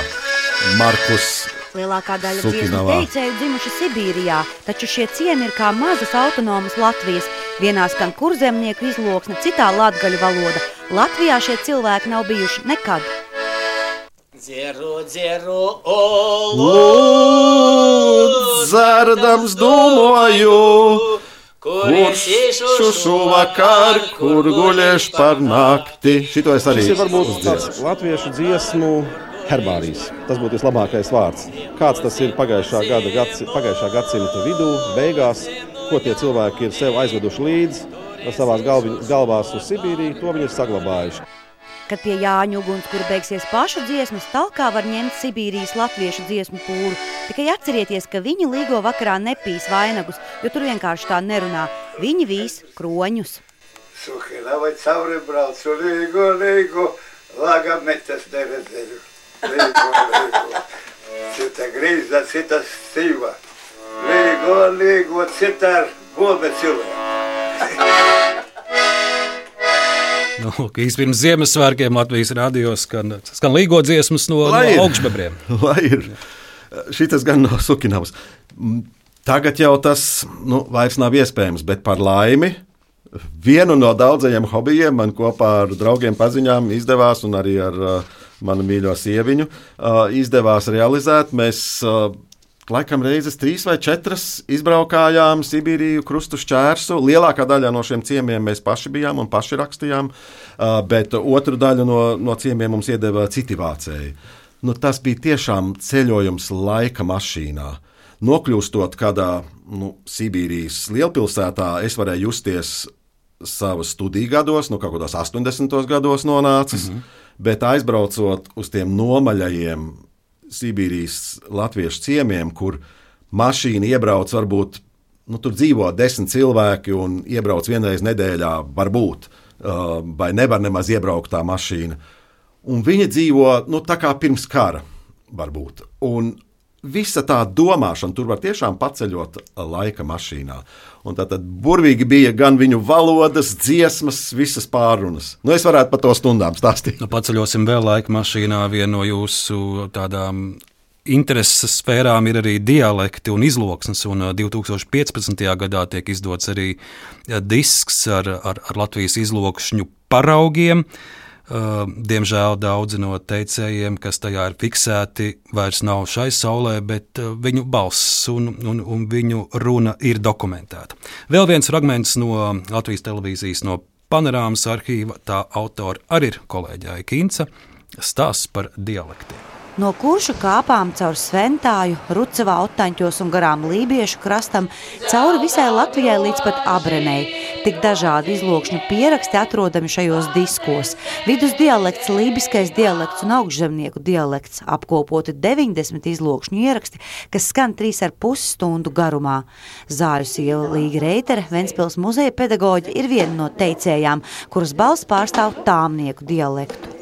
[SPEAKER 2] Markus.
[SPEAKER 3] Lielākā daļa dziesmu teicēju dzimuši Sibīrijā, taču šie ciemi ir kā mazas autonomas Latvijas. Vienā skan kurzemnieku izloksne, citā latgaļu valoda. Latvijā šie cilvēki nav bijuši nekad.
[SPEAKER 9] Dzeru, dzeru,
[SPEAKER 2] olu, dzerdams domāju, kurš šušu vakar, kur guļiešu par nakti. Šito es arī
[SPEAKER 10] šis ir varbūt tāds latviešu dziesmu herbārijas. Tas būtu vislabākais vārds. Kāds tas ir pagājušā gada, gadsi, pagājušā gadsimta vidū, beigās, ko tie cilvēki ir sev aizveduši līdzi, savās galvi, galvās uz Sibīriju, to viņi ir saglabājuši.
[SPEAKER 3] Kad pie Jāņu ugunskura beigsies pašu dziesmas, talkā var ņemt Sibīrijas latviešu dziesmu pūru. Tikai atcerieties, ka viņi līgo vakarā nepīs vainagus, jo tur vienkārši tā nerunā. Viņi vīs kroņus.
[SPEAKER 11] Suhila vai cauri braucu, līgo, līgo, laga metas neredzēju. Līgo, līgo, cita grīza, cita sīva. Līgo, līgo, cita ar gobe cilvēku.
[SPEAKER 1] Nu, īsti pirms Ziemassvētkiem Latvijas radio skan, skan līgo dziesmas no, no augšbebriem.
[SPEAKER 2] Lai ir. Šitas gan nav sukinams. Tagad jau tas nu, vairs nav iespējams, bet par laimi vienu no daudzajiem hobijiem man kopā ar draugiem paziņām izdevās, un arī ar uh, manu mīļo sieviņu uh, izdevās realizēt. Mēs uh, laikam reizes trīs vai četras izbraukājām Sibīriju, krustu šķērsu. Lielākā daļa no šiem ciemiem mēs paši bijām un paši rakstījām, bet otru daļu no, no ciemiem mums iedeva citi vācēji. Nu, tas bija tiešām ceļojums laika mašīnā. Nokļūstot kādā nu, Sibīrijas lielpilsētā, es varēju justies savas studiju gados, nu kaut kādos astoņdesmitos gados nonācis, mm-hmm. bet aizbraucot uz tiem nomaļajiem Sibīrijas latviešu ciemiem, kur mašīna iebrauc varbūt, nu tur dzīvo desmit cilvēki un iebrauc vienreiz nedēļā varbūt, uh, vai nevar nemaz iebraukt tā mašīna. Un viņi dzīvo, nu tā kā pirms kara varbūt. Un visa tā domāšana tur var tiešām paceļot laika mašīnā. Un tātad burvīgi bija gan viņu valodas, dziesmas, visas pārunas. Nu, es varētu par to stundām stāstīt.
[SPEAKER 1] Nu, paceļosim vēl laika mašīnā. Viena no jūsu tādām intereses sfērām ir arī dialekti un izloksnes. Un divi tūkstoši piecpadsmitajā gadā tiek izdots arī disks ar, ar, ar Latvijas izlokšņu paraugiem. Uh, diemžēl daudzi no teicējiem, kas tajā ir fiksēti, vairs nav šai saulē, bet uh, viņu balss un, un, un viņu runa ir dokumentēta. Vēl viens fragments no Latvijas televīzijas no Panorāmas arhīva, tā autora arī ir kolēģe Kinca, stāsts par dialektiem.
[SPEAKER 3] No Kuršu kāpām caur Sventāju, Rucavā, Otaņķos un garām Lībiešu krastam, cauri visai Latvijai līdz pat Abrenei. Tik dažādi izlokšņu pieraksti atrodami šajos diskos. Vidus dialekts, lībiskais dialekts un augšzemnieku dialekts, apkopoti deviņdesmit izlokšņu ieraksti, kas skan trīs ar pus stundu garumā. Zāļu sieva Līga Reitere, Ventspils muzeja pedagoģe, ir viena no teicējām, kuras balss pārstāv tāmnieku dialektu.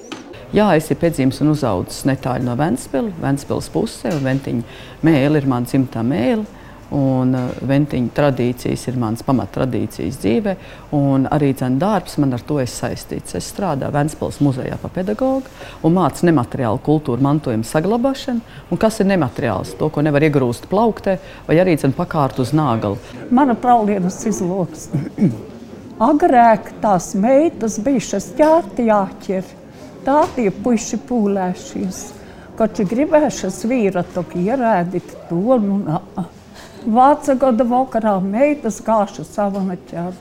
[SPEAKER 12] Jā, es ir piedzīvis un uzaudzis netāļu no Ventspila, Ventspils pusē, un Ventiņa mēle ir mana dzimtā mēle, un Ventiņa tradīcijas ir manas pamattradīcijas dzīvē, un arī dzen darbs man ar to ir saistīts. Es strādāju Ventspils muzejā pa pedagogu un mācu nemateriālu kultūru mantojumu saglabāšanu, un kas ir nemateriāls, to, ko nevar iegrūst plauktē, vai arī dzen pakārt uz nāgali.
[SPEAKER 13] Mana praulienas izloksne. Agrāk tās meitas bijušas ķērti jāķer. Tā tie puiši pūlēšies, koči gribēšas vīra toki ierēdīt to, nu nā. Vāca gada vakarā meitas gāša savana ķert,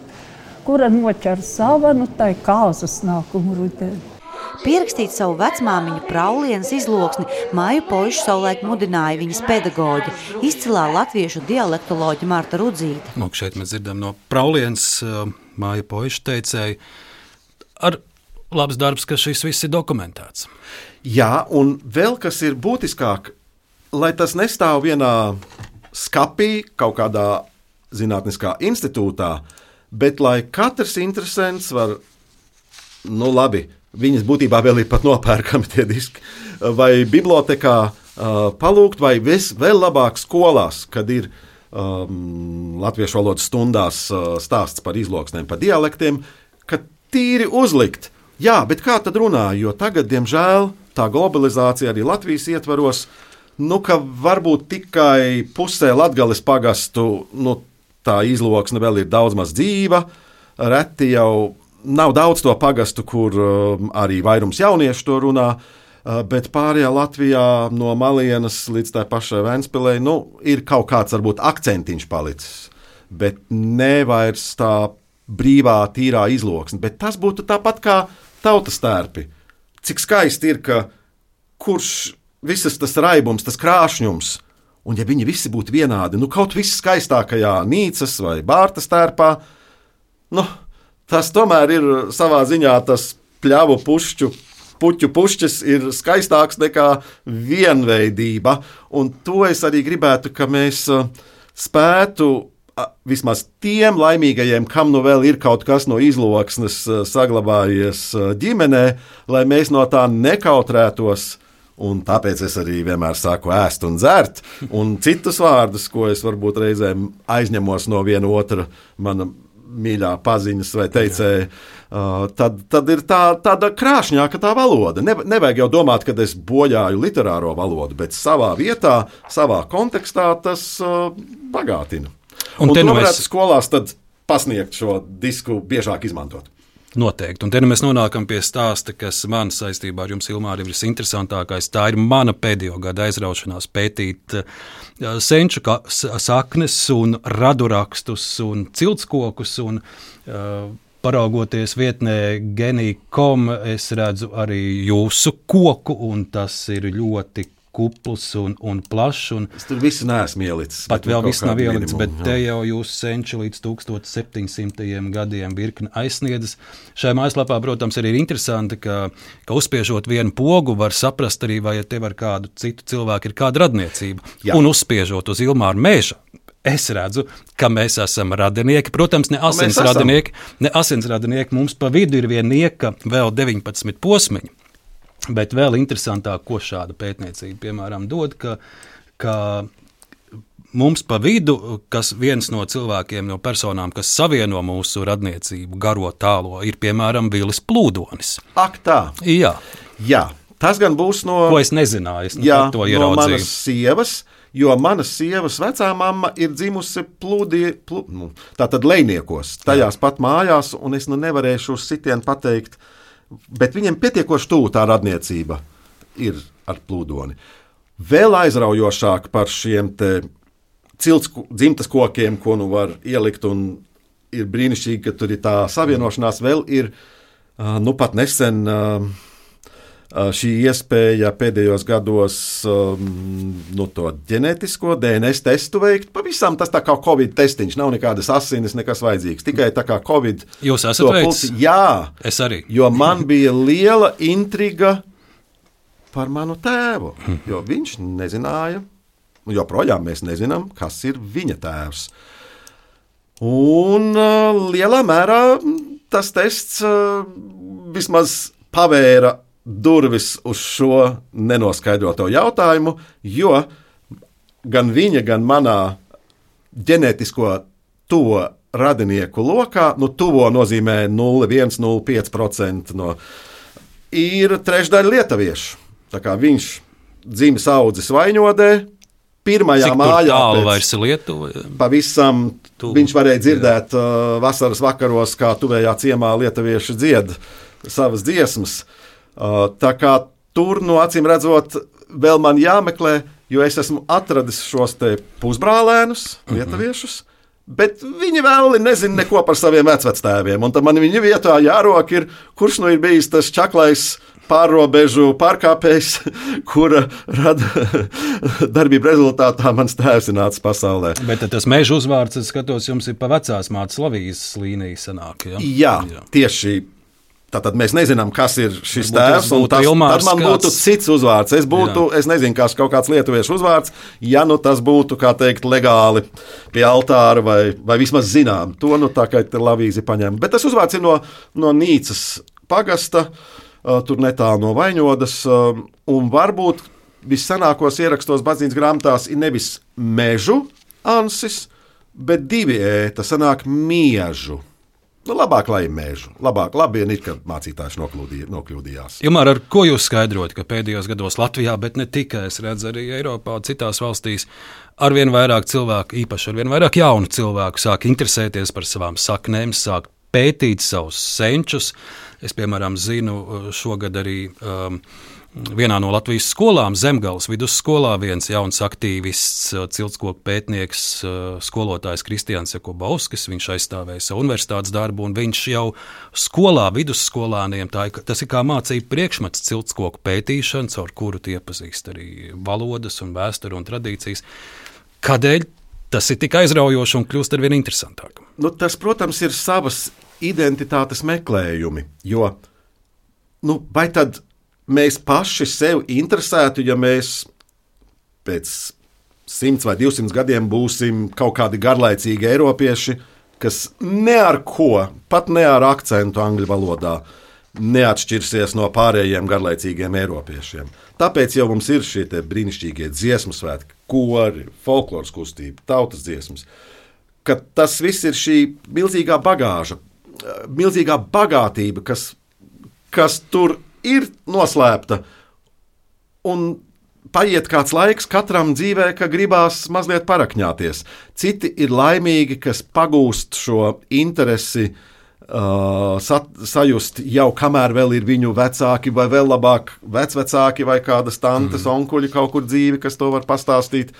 [SPEAKER 13] kura noķer savanu, tai kāzas nākumu rudeni.
[SPEAKER 3] Pierakstīt savu vecmāmiņu praulienas izloksni Māju Poišu savulaik mudināja viņas pedagoģi, izcilā latviešu dialektoloģe Marta Rudzīte.
[SPEAKER 1] Lūk, šeit mēs dzirdam no praulienas Māju Poišu teicēju ar labs darbs, ka šis viss ir dokumentēts.
[SPEAKER 2] Jā, un vēl kas ir būtiskāk, lai tas nestāv vienā skapī, kaut kādā zinātniskā institūtā, bet lai katrs interesants var, nu labi, viņas būtībā vēl ir pat nopērkami tie diski, vai bibliotekā uh, palūgt, vai vis, vēl labāk skolās, kad ir um, latviešu valodas stundās uh, stāsts par izloksnēm, par dialektiem, ka tīri uzlikt. Jā, bet kā tad runā, jo tagad, diemžēl, tā globalizācija arī Latvijas ietvaros, nu, ka varbūt tikai pusē Latgales pagastu, nu, tā izloksne vēl ir daudz maz dzīva, reti jau nav daudz to pagastu, kur um, arī vairums jauniešu to runā, uh, bet pārējā Latvijā no Malienas līdz tā pašai Ventspilei, nu, ir kaut kāds varbūt akcentiņš palicis, bet ne vairs tā brīvā, tīrā izloksne, bet tas būtu tāpat kā tautas tērpi. Cik skaisti ir, ka kurš visas tas raibums, tas krāšņums, un ja viņi visi būtu vienādi, nu kaut viss skaistākajā Nīcas vai Bārtas tērpā, nu, tas tomēr ir savā ziņā tas pļavu pušķu, puķu pušķis ir skaistāks nekā vienveidība, un to es arī gribētu, ka mēs spētu vismaz tiem laimīgajiem, kam nu vēl ir kaut kas no izloksnes saglabājies ģimenē, lai mēs no tā nekautrētos. Un tāpēc es arī vienmēr saku ēst un dzert, un citus vārdus, ko es varbūt reizēm aizņemos no viena otra mana mīļā paziņas vai teicēja, uh, tad, tad ir tā, tāda krāšņāka tā valoda. Ne, nevajag jau domāt, ka es bojāju literāro valodu, bet savā vietā, savā kontekstā tas uh, bagātina. Un, un to varētu mēs... skolās tad pasniegt šo disku biežāk izmantot.
[SPEAKER 1] Noteikti. Un te nu mēs nonākam pie stāsta, kas man saistībā ar jums, Ilmār, ir visinteresantākais. Tā ir mana pēdējo gada aizraušanās pētīt uh, senču saknes un radurakstus un ciltskokus. Un, uh, paraugoties vietnē genī punktu com, es redzu arī jūsu koku, un tas ir ļoti kupls un, un plašs. Un
[SPEAKER 2] es tur visu neesmu ielicis.
[SPEAKER 1] Pat vēl viss nav ielicis, bet te jau jūs senči līdz tūkstoš septiņsimtajiem gadiem virkni aizsniedzas. Šajā mājaslapā, protams, arī ir interesanti, ka, ka uzspiežot vienu pogu var saprast arī, vai tev ar kādu citu cilvēku ir kāda radniecība. Jā. Un uzspiežot uz Ilmāra Meža, es redzu, ka mēs esam radinieki. Protams, ne asins radinieki, ne asins radinieki. Mums pa vidu ir viena nieka vēl deviņpadsmit posmiņi. Bet vēl interesantāk, ko šāda pētniecība, piemēram, dod, ka, ka mums pa vidu, kas viens no cilvēkiem, no personām, kas savieno mūsu radniecību garo tālo, ir, piemēram, Vilis Plūdonis.
[SPEAKER 2] Ak tā?
[SPEAKER 1] Jā.
[SPEAKER 2] Jā, tas gan būs no...
[SPEAKER 1] Ko es nezināju, es
[SPEAKER 2] jā,
[SPEAKER 1] to ieraudzīju.
[SPEAKER 2] No manas sievas, jo manas sievas vecā mamma ir dzimusi plūdie, plū, nu, tātad Lejniekos, tajās pat mājās, un es nu nevarēšu uz sitienu pateikt, bet viņiem pietiekoši tuvu tā radniecība ir ar Plūdoni. Vēl aizraujošāk par šiem te cilts dzimtas kokiem, ko nu var ielikt, un ir brīnišķīgi, ka tur ir tā savienošanās, vēl ir, nu pat nesen šī iespēja pēdējos gados nu, to ģenētisko D N S testu veikt. Pavisam tas tā kā Covid testiņš, nav nekādas asinis, nekas vajadzīgs. Tikai tā kā Covid.
[SPEAKER 1] Jūs esat veids?
[SPEAKER 2] Jā.
[SPEAKER 1] Es arī.
[SPEAKER 2] Jo man bija liela intriga par manu tēvu, jo viņš nezināja, joprojām mēs nezinām, kas ir viņa tēvs. Un uh, lielā mērā tas tests uh, vismaz pavēra durvis uz šo nenoskaidroto jautājumu, jo gan viņa, gan manā ģenētisko tuvo radinieku lokā, nu tuvo nozīmē nulle komats viens nulle pieci procenti no, ir trešdaļa lietuviešu. Tā kā viņš dzimis audzis Vaņodē, pirmajā
[SPEAKER 1] Cik
[SPEAKER 2] mājā
[SPEAKER 1] tālu vairs ir Lietuva?
[SPEAKER 2] Pavisam
[SPEAKER 1] Tuvu.
[SPEAKER 2] Viņš varēja dzirdēt uh, vasaras vakaros, kā tuvējā ciemā lietuvieši dzied savas dziesmas. Uh, tā kā tur, no acīm redzot, vēl man jāmeklē, jo es esmu atradis šos te pusbrālēnus, lietuviešus, mm-hmm. bet viņi vēl nezina neko par saviem vecvectēviem. Un tad man viņa vietā jārok ir, kurš nu ir bijis tas čaklais pārrobežu pārkāpējs, kura rada darbību rezultātā mans tēvs ir nācis pasaulē.
[SPEAKER 1] Bet tas Meža uzvārds, es skatos, jums ir pa vecās mātes Lavijas līnija sanāk, ja?
[SPEAKER 2] Jā, Jā, tieši. Tātad mēs nezinām, kas ir šis tēvs, un tas, tad man būtu kāds... cits uzvārds. Es būtu, Jā. es nezinu, kas kaut kāds lietuviešu uzvārds, ja nu tas būtu, kā teikt, legāli pie altāra vai, vai vismaz zinām. To nu tā kā Lavīzi paņem. Bet tas uzvārds ir no, no Nīcas pagasta, uh, tur netālu no Vaņodas, uh, un varbūt vissanākos ierakstos baznīcas grāmatās ir nevis Mežu ansis, bet divi ē, tas sanāk Miežu. Nu, labāk, lai ir Mežu. Labāk, labi ir, kad mācītājs nokļūdījās.
[SPEAKER 1] Ilmār, ar ko jūs skaidrojat, ka pēdējos gados Latvijā, bet ne tikai, es redzu arī Eiropā, citās valstīs, arvien vairāk cilvēku, īpaši arvien vairāk jaunu cilvēku, sāk interesēties par savām saknēm, sāk pētīt savus senčus. Es, piemēram, zinu šogad arī um, vienā no Latvijas skolām, Zemgales vidusskolā, viens jauns aktīvists, ciltskoku pētnieks, skolotājs Kristians Jakubovskis, viņš aizstāvēja savu universitātes darbu, un viņš jau skolā, vidusskolāniem, tā, tas ir kā mācību priekšmets ciltskoku pētīšana, caur kuru tie iepazīst arī valodas un vēsturi un tradīcijas. Kādēļ tas ir tik aizraujoši un kļūst arvien interesantāk?
[SPEAKER 2] Nu, tas, protams, ir savas identitātes meklējumi, jo nu, vai tad mēs paši sev interesētu, ja mēs pēc simts vai divsimt gadiem būsim kaut kādi garlaicīgi eiropieši, kas ne ar ko, pat ne ar akcentu angļu valodā, neatšķirsies no pārējiem garlaicīgiem eiropiešiem. Tāpēc jau mums ir šie brīnišķīgie dziesmu svētki, kori, folkloras kustība, tautas dziesmas, ka tas viss ir šī milzīgā bagāža, milzīgā bagātība, kas, kas tur ir noslēpta, un paiet kāds laiks katram dzīvē, ka gribās mazliet parakņāties. Citi ir laimīgi, kas pagūst šo interesi uh, sat, sajust jau kamēr vēl ir viņu vecāki vai vēl labāk vecvecāki vai kādas tantes, mm. onkuļi kaut kur dzīvi, kas to var pastāstīt.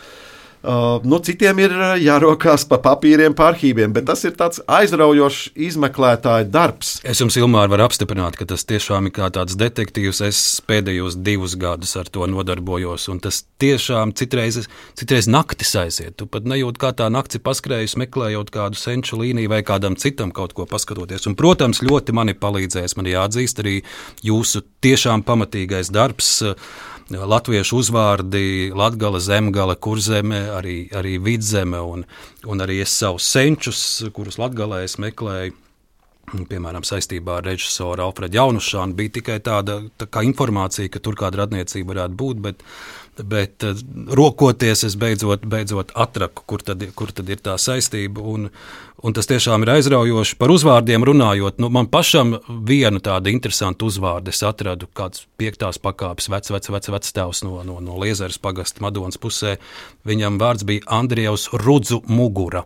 [SPEAKER 2] Uh, nu, citiem ir jārokās pa papīriem, pa arhīviem, bet tas ir tāds aizraujošs izmeklētāja darbs.
[SPEAKER 1] Es jums, Ilmār, varu apstiprināt, ka tas tiešām ir kā tāds detektīvs. Es pēdējos divus gadus ar to nodarbojos, un tas tiešām citreiz, citreiz naktis aiziet. Tu pat nejūt, kā tā nakts ir paskrējus, meklējot kādu senču līniju vai kādam citam kaut ko paskatoties. Un, protams, ļoti mani palīdzēs, man jāatzīst arī jūsu tiešām pamatīgais darbs, latviešu uzvārdi, Latgale, Zemgale, Kurzeme, arī, arī Vidzeme, un, un arī es savus senčus, kurus Latgalē es meklēju, piemēram, saistībā ar režisoru Alfredu Jaunušānu, bija tikai tāda tā kā informācija, ka tur kāda radniecība varētu būt, bet, bet rokoties es beidzot, beidzot atraku, kur tad, kur tad ir tā saistība, un, un tas tiešām ir aizraujoši. Par uzvārdiem runājot, nu, man pašam vienu tādu interesantu uzvārdu es atradu, kāds piektās pakāpes vec, vec, vec, vec tēvs no, no, no Liezeres pagasta Madonas pusē. Viņam vārds bija Andrievs Rudzu Mugura.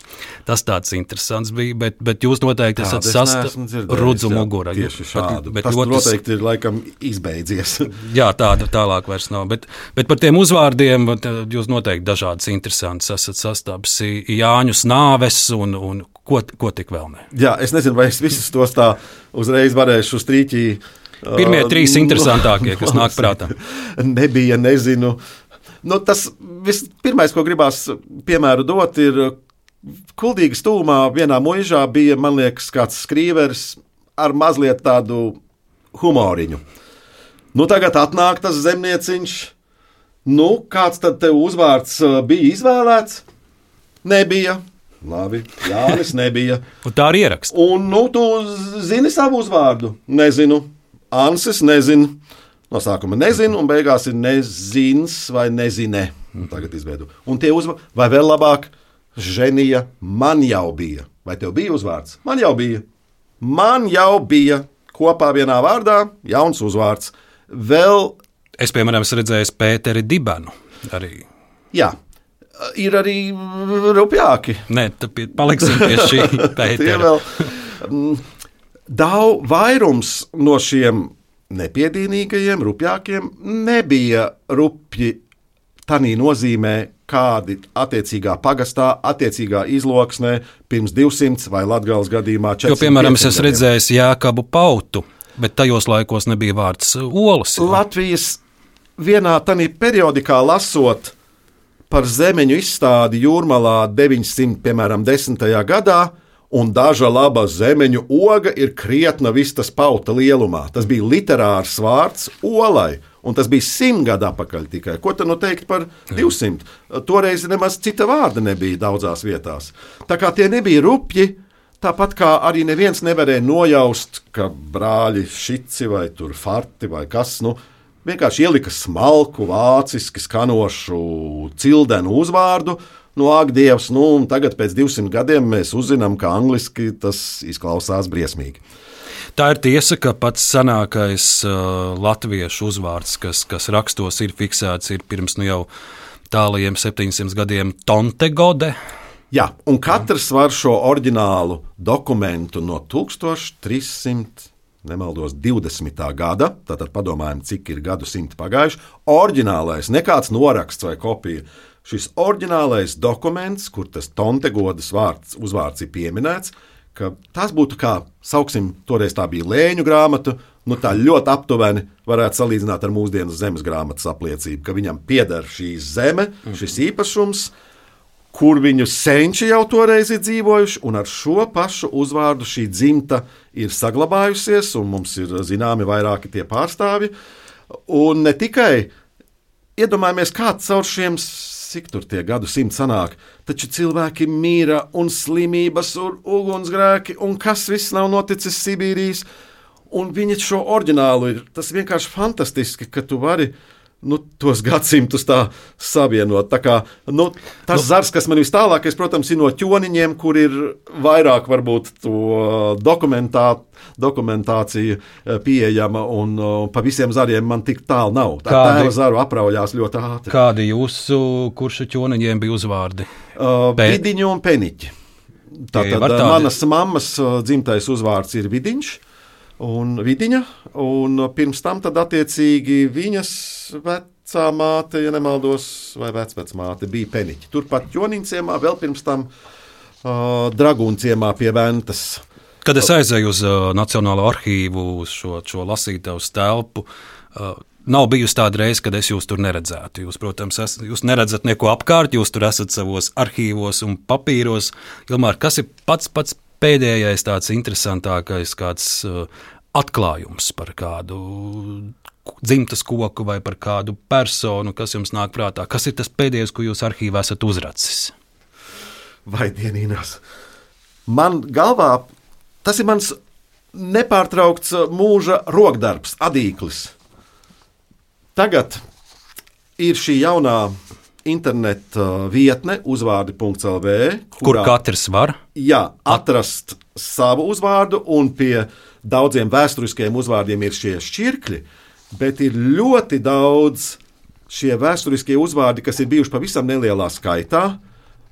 [SPEAKER 1] Tas tāds interesants bija, bet, bet jūs noteikti esat sasta Rudzu jā, Mugura.
[SPEAKER 2] Tieši šādu. Bet, bet tas noteikti ir laikam izbeidzies.
[SPEAKER 1] Jā, tāda tālāk vairs nav. Bet, bet par tiem uzvārdiem jūs noteikti dažādas interesantas esat sastāpis Jāņus Nāves un, un ko, ko tik vēl ne.
[SPEAKER 2] Jā, es nezinu, vai es visus tos tā uzreiz varēšu strīķī.
[SPEAKER 1] Pirmie uh, trīs interesantākie, kas nāk prātā.
[SPEAKER 2] Nebija, nezinu. Nu, tas viss pirmais, ko gribās piemēru dot, ir Kuldīgas tūmā vienā muižā bija, man liekas, kāds skrīveris ar mazliet tādu humoriņu. Nu, tagad atnāk tas zemnieciņš. Nu, kāds tad tev uzvārds bija izvēlēts? Nebija. Labi, Jānis nebija.
[SPEAKER 1] Un tā arī ierakst.
[SPEAKER 2] Un, nu, tu zini savu uzvārdu? Nezinu. Ansis nezinu. No sākuma nezinu, un beigās ir nezins vai nezine. Tagad izveidu. Un tie uzvārdi, vai vēl labāk, Ženija, man jau bija. Vai tev bija uzvārds? Man jau bija. Man jau bija. Kopā vienā vārdā jauns uzvārds. Vēl...
[SPEAKER 1] Es, piemēram, esmu redzējis Pēteri Dibenu arī.
[SPEAKER 2] Jā. Ir arī rupjāki.
[SPEAKER 1] Nē, tad paliksim pie šī Pētera.
[SPEAKER 2] Daudz vairums no šiem nepiedienīgajiem, rupjākiem nebija rupji tanī nozīmē, kādi attiecīgā pagastā, attiecīgā izloksnē pirms divsimts vai Latgales gadījumā četrsimt.
[SPEAKER 1] Jo, piemēram, es esmu redzējis Jākabu Pautu, bet tajos laikos nebija vārds olas. Jā.
[SPEAKER 2] Latvijas vienā tanī periodikā lasot par zemeņu izstādi Jūrmalā deviņsimt, piemēram, desmitajā gadā, un daža laba zemeņu oga ir krietna vistas pauta lielumā. Tas bija literārs vārds olai, un tas bija simt gadu atpakaļ tikai. Ko tad nu teikt par divsimt? Toreiz nemaz cita vārda nebija daudzās vietās. Tā kā tie nebija rupji, tāpat kā arī neviens nevarēja nojaust, ka brāļi Šici vai tur Farti vai kas, nu, vienkārši ielika smalku, vāciski skanošu cildenu uzvārdu. Nu, ak, Dievs, nu, un tagad pēc divsimt gadiem mēs uzzinām, ka angliski tas izklausās briesmīgi.
[SPEAKER 1] Tā ir tiesa, ka pats senākais uh, latviešu uzvārds, kas, kas rakstos ir fiksēts, ir pirms nu jau tālajiem septiņsimt gadiem Tontegode.
[SPEAKER 2] Jā, un katrs var šo oriģinālu dokumentu no tūkstoš trīssimt, nemaldos, divdesmitā gada, tātad padomājam, cik ir gadu simti pagājuši, oriģinālais, nekāds noraksts vai kopija. Šis oriģinālais dokuments, kur tas Tontegodas vārds, uzvārds ir pieminēts, ka tas būtu kā, sauksim, toreiz tā bija lēņu grāmata, nu tā ļoti aptuveni varētu salīdzināt ar mūsdienu zemes grāmatas apliecību, ka viņam pieder šī zeme, šis īpašums, kur viņu senči jau toreiz ir dzīvojuši, un ar šo pašu uzvārdu šī dzimta ir saglabājusies, un mums ir zināmi vairāki tie pārstāvji. Un ne tikai iedomājamies, kā caur šiem, cik tur tie gadu simt sanāk, taču cilvēki mīra un slimības un ugunsgrēki, un kas viss nav noticis Sibīrijas, un viņi šo oriģinālu ir, tas vienkārši fantastiski, ka tu vari nu, tos gadsimtus tā savienot. Tā kā, nu, tas nu, zars, kas man vis tālākais, protams, ir no ķoniņiem, kur ir vairāk varbūt to dokumentā, dokumentācija pieejama, un uh, pa visiem zariem man tik tālu nav. Tā kādi, tēva zaru apraujās ļoti ātri.
[SPEAKER 1] Kādi jūsu kuršu ķoniņiem bija uzvārdi?
[SPEAKER 2] Uh, Vidiņu un Peniķi. Tātad tādi... manas mammas dzimtais uzvārds ir Vidiņš un Vidiņa, un pirms tam tad attiecīgi viņas vecā māte, ja nemaldos, vai vecvecmāte bija Peniķi. Turpat Ķoniņciemā, vēl pirms tam uh, Dragūnciemā pie Ventas.
[SPEAKER 1] Kad es aizēju uz uh, Nacionālo arhīvu, uz šo, šo lasītavas telpu, uh, nav bijusi tāda reize, kad es jūs tur neredzētu. Jūs, protams, es, jūs neredzat neko apkārt, jūs tur esat savos arhīvos un papīros. Ilmār, kas ir pats pats pēdējais tāds interesantākais kāds uh, atklājums par kādu dzimtas koku vai par kādu personu, kas jums nāk prātā? Kas ir tas pēdējais, ko jūs arhīvā esat uzracis?
[SPEAKER 2] Vai dienīnās? Man galvā, tas ir mans nepārtraukts mūža rokdarbs, adīklis. Tagad ir šī jaunā interneta vietne uzvārdi punkts el vē,
[SPEAKER 1] kur katrs var
[SPEAKER 2] jā, atrast savu uzvārdu, un pie daudziem vēsturiskiem uzvārdiem ir šie šķirkļi, bet ir ļoti daudz šie vēsturiskie uzvārdi, kas ir bijuši pavisam nelielā skaitā,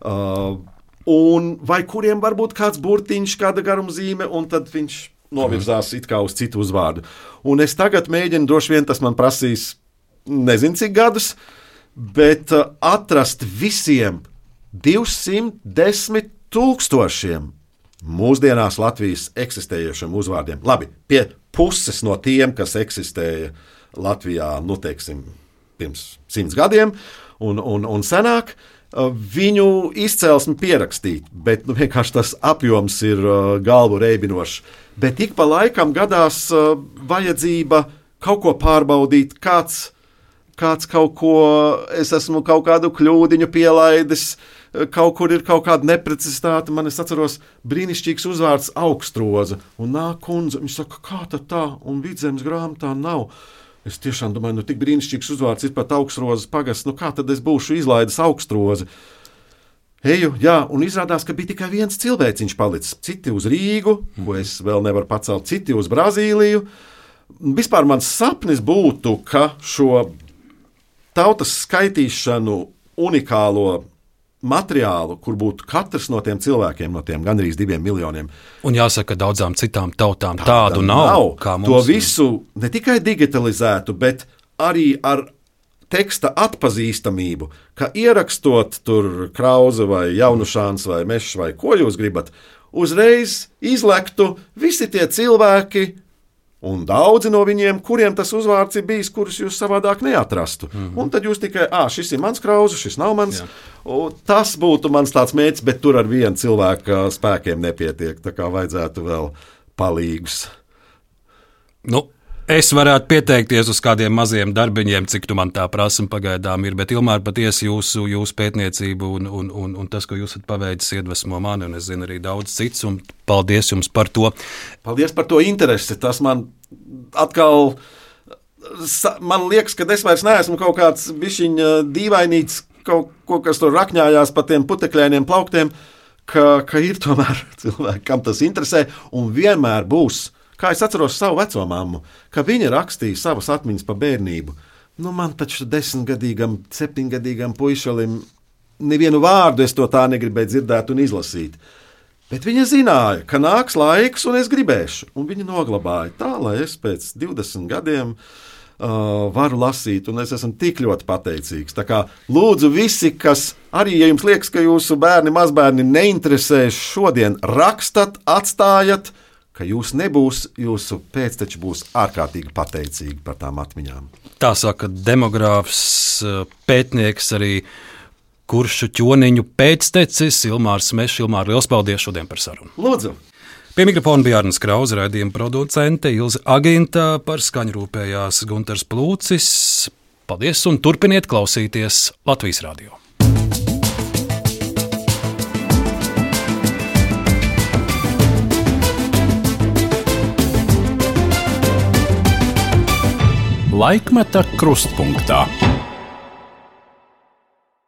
[SPEAKER 2] uh, un vai kuriem var būt kāds burtiņš, kāda garumzīme, un tad viņš novirzās it kā uz citu uzvārdu. Un es tagad mēģinu, droši vien tas man prasīs nezinu cik gadus, bet uh, atrast visiem divsimt desmit tūkstošiem mūsdienās Latvijas eksistējošiem uzvārdiem. Labi, pie puses no tiem, kas eksistēja Latvijā, nu teiksim, pirms simts gadiem un, un, un senāk, uh, viņu izcelsmi pierakstīt, bet nu, vienkārši tas apjoms ir uh, galvu reibinošs. Bet ik pa laikam gadās uh, vajadzība kaut ko pārbaudīt, kāds kāds kaut ko, es esmu kaut kādu kļūdiņu pielaidis, kaut kur ir kaut kāda neprecizitāte. Man es atceros brīnišķīgs uzvārds Augstroza, un nāk kundze, viņš saka, kā tad tā, un Vidzemes grāmatā nav. Es tiešām domāju, nu tik brīnišķīgs uzvārds ir pat Augstrozas pagasts, nu kā tad es būšu izlaidis Augstrozi? Eju, jā, un izrādās, ka bija tikai viens cilvēciņš palicis, citi uz Rīgu, ko es vēl nevaru pacelt, citi uz Brazīliju. Vispār mans sapnis būtu, ka šo tautas skaitīšanu unikālo materiālu, kur būtu katrs no tiem cilvēkiem, no tiem gandrīz diviem miljoniem.
[SPEAKER 1] Un jāsaka, daudzām citām tautām tādu nav. nav. Kā mums
[SPEAKER 2] to visu ne tikai digitalizētu, bet arī ar teksta atpazīstamību, ka ierakstot tur Krauze vai Jaunušāns vai Mešs vai ko jūs gribat, uzreiz izlektu visi tie cilvēki, un daudzi no viņiem, kuriem tas uzvārds ir bijis, kurus jūs savādāk neatrastu. Mm-hmm. Un tad jūs tikai, ā, šis ir mans Krauze, šis nav mans. Tas būtu mans tāds mērķis, bet tur ar vienu cilvēku spēkiem nepietiek, tā kā vajadzētu vēl palīgus.
[SPEAKER 1] Nu, es varētu pieteikties uz kādiem maziem darbiņiem, cik tu man tā prasam pagaidām ir, bet Ilmār, patiesi jūsu, jūsu pētniecību un, un, un, un tas, ko jūs esat paveicis, iedvesmo mani, un es zinu arī daudz cits, un paldies jums par to.
[SPEAKER 2] Paldies par to interesi. Tas man atkal, man liekas, ka es vairs neesmu kaut kāds bišķiņ dīvainīts, kaut ko, kas tur rakņājās pa tiem putekļainiem plauktiem, ka, ka ir tomēr cilvēki, kam tas interesē, un vienmēr būs. Kā es atceros savu veco mammu, ka viņa rakstīja savas atmiņas par bērnību. Nu, man taču desmitgadīgam, septiņgadīgam puišalim nevienu vārdu es to tā negribēju dzirdēt un izlasīt. Bet viņa zināja, ka nāks laiks un es gribēšu. Un viņa noglabāja tā, lai es pēc divdesmit gadiem uh, varu lasīt, un es esmu tik ļoti pateicīgs. Tā kā lūdzu visi, kas arī, ja jums liekas, ka jūsu bērni, mazbērni neinteresēs šodien, rakstat, atstājat, ka jūs nebūs, jūsu pēcteči būs ārkārtīgi pateicīgi par tām atmiņām.
[SPEAKER 1] Tā saka demogrāfs, pētnieks, arī Kuršu ķoniņu pēctecis Ilmārs Smešs. Ilmār, liels paldies šodien par sarunu.
[SPEAKER 2] Lūdzu!
[SPEAKER 1] Pie mikrofona bija Arnis Krause, raidījuma producente Ilze Aginta, par skaņu rūpējās Guntars Plūcis. Paldies un turpiniet klausīties Latvijas radio.
[SPEAKER 14] Laikmeta krustpunktā.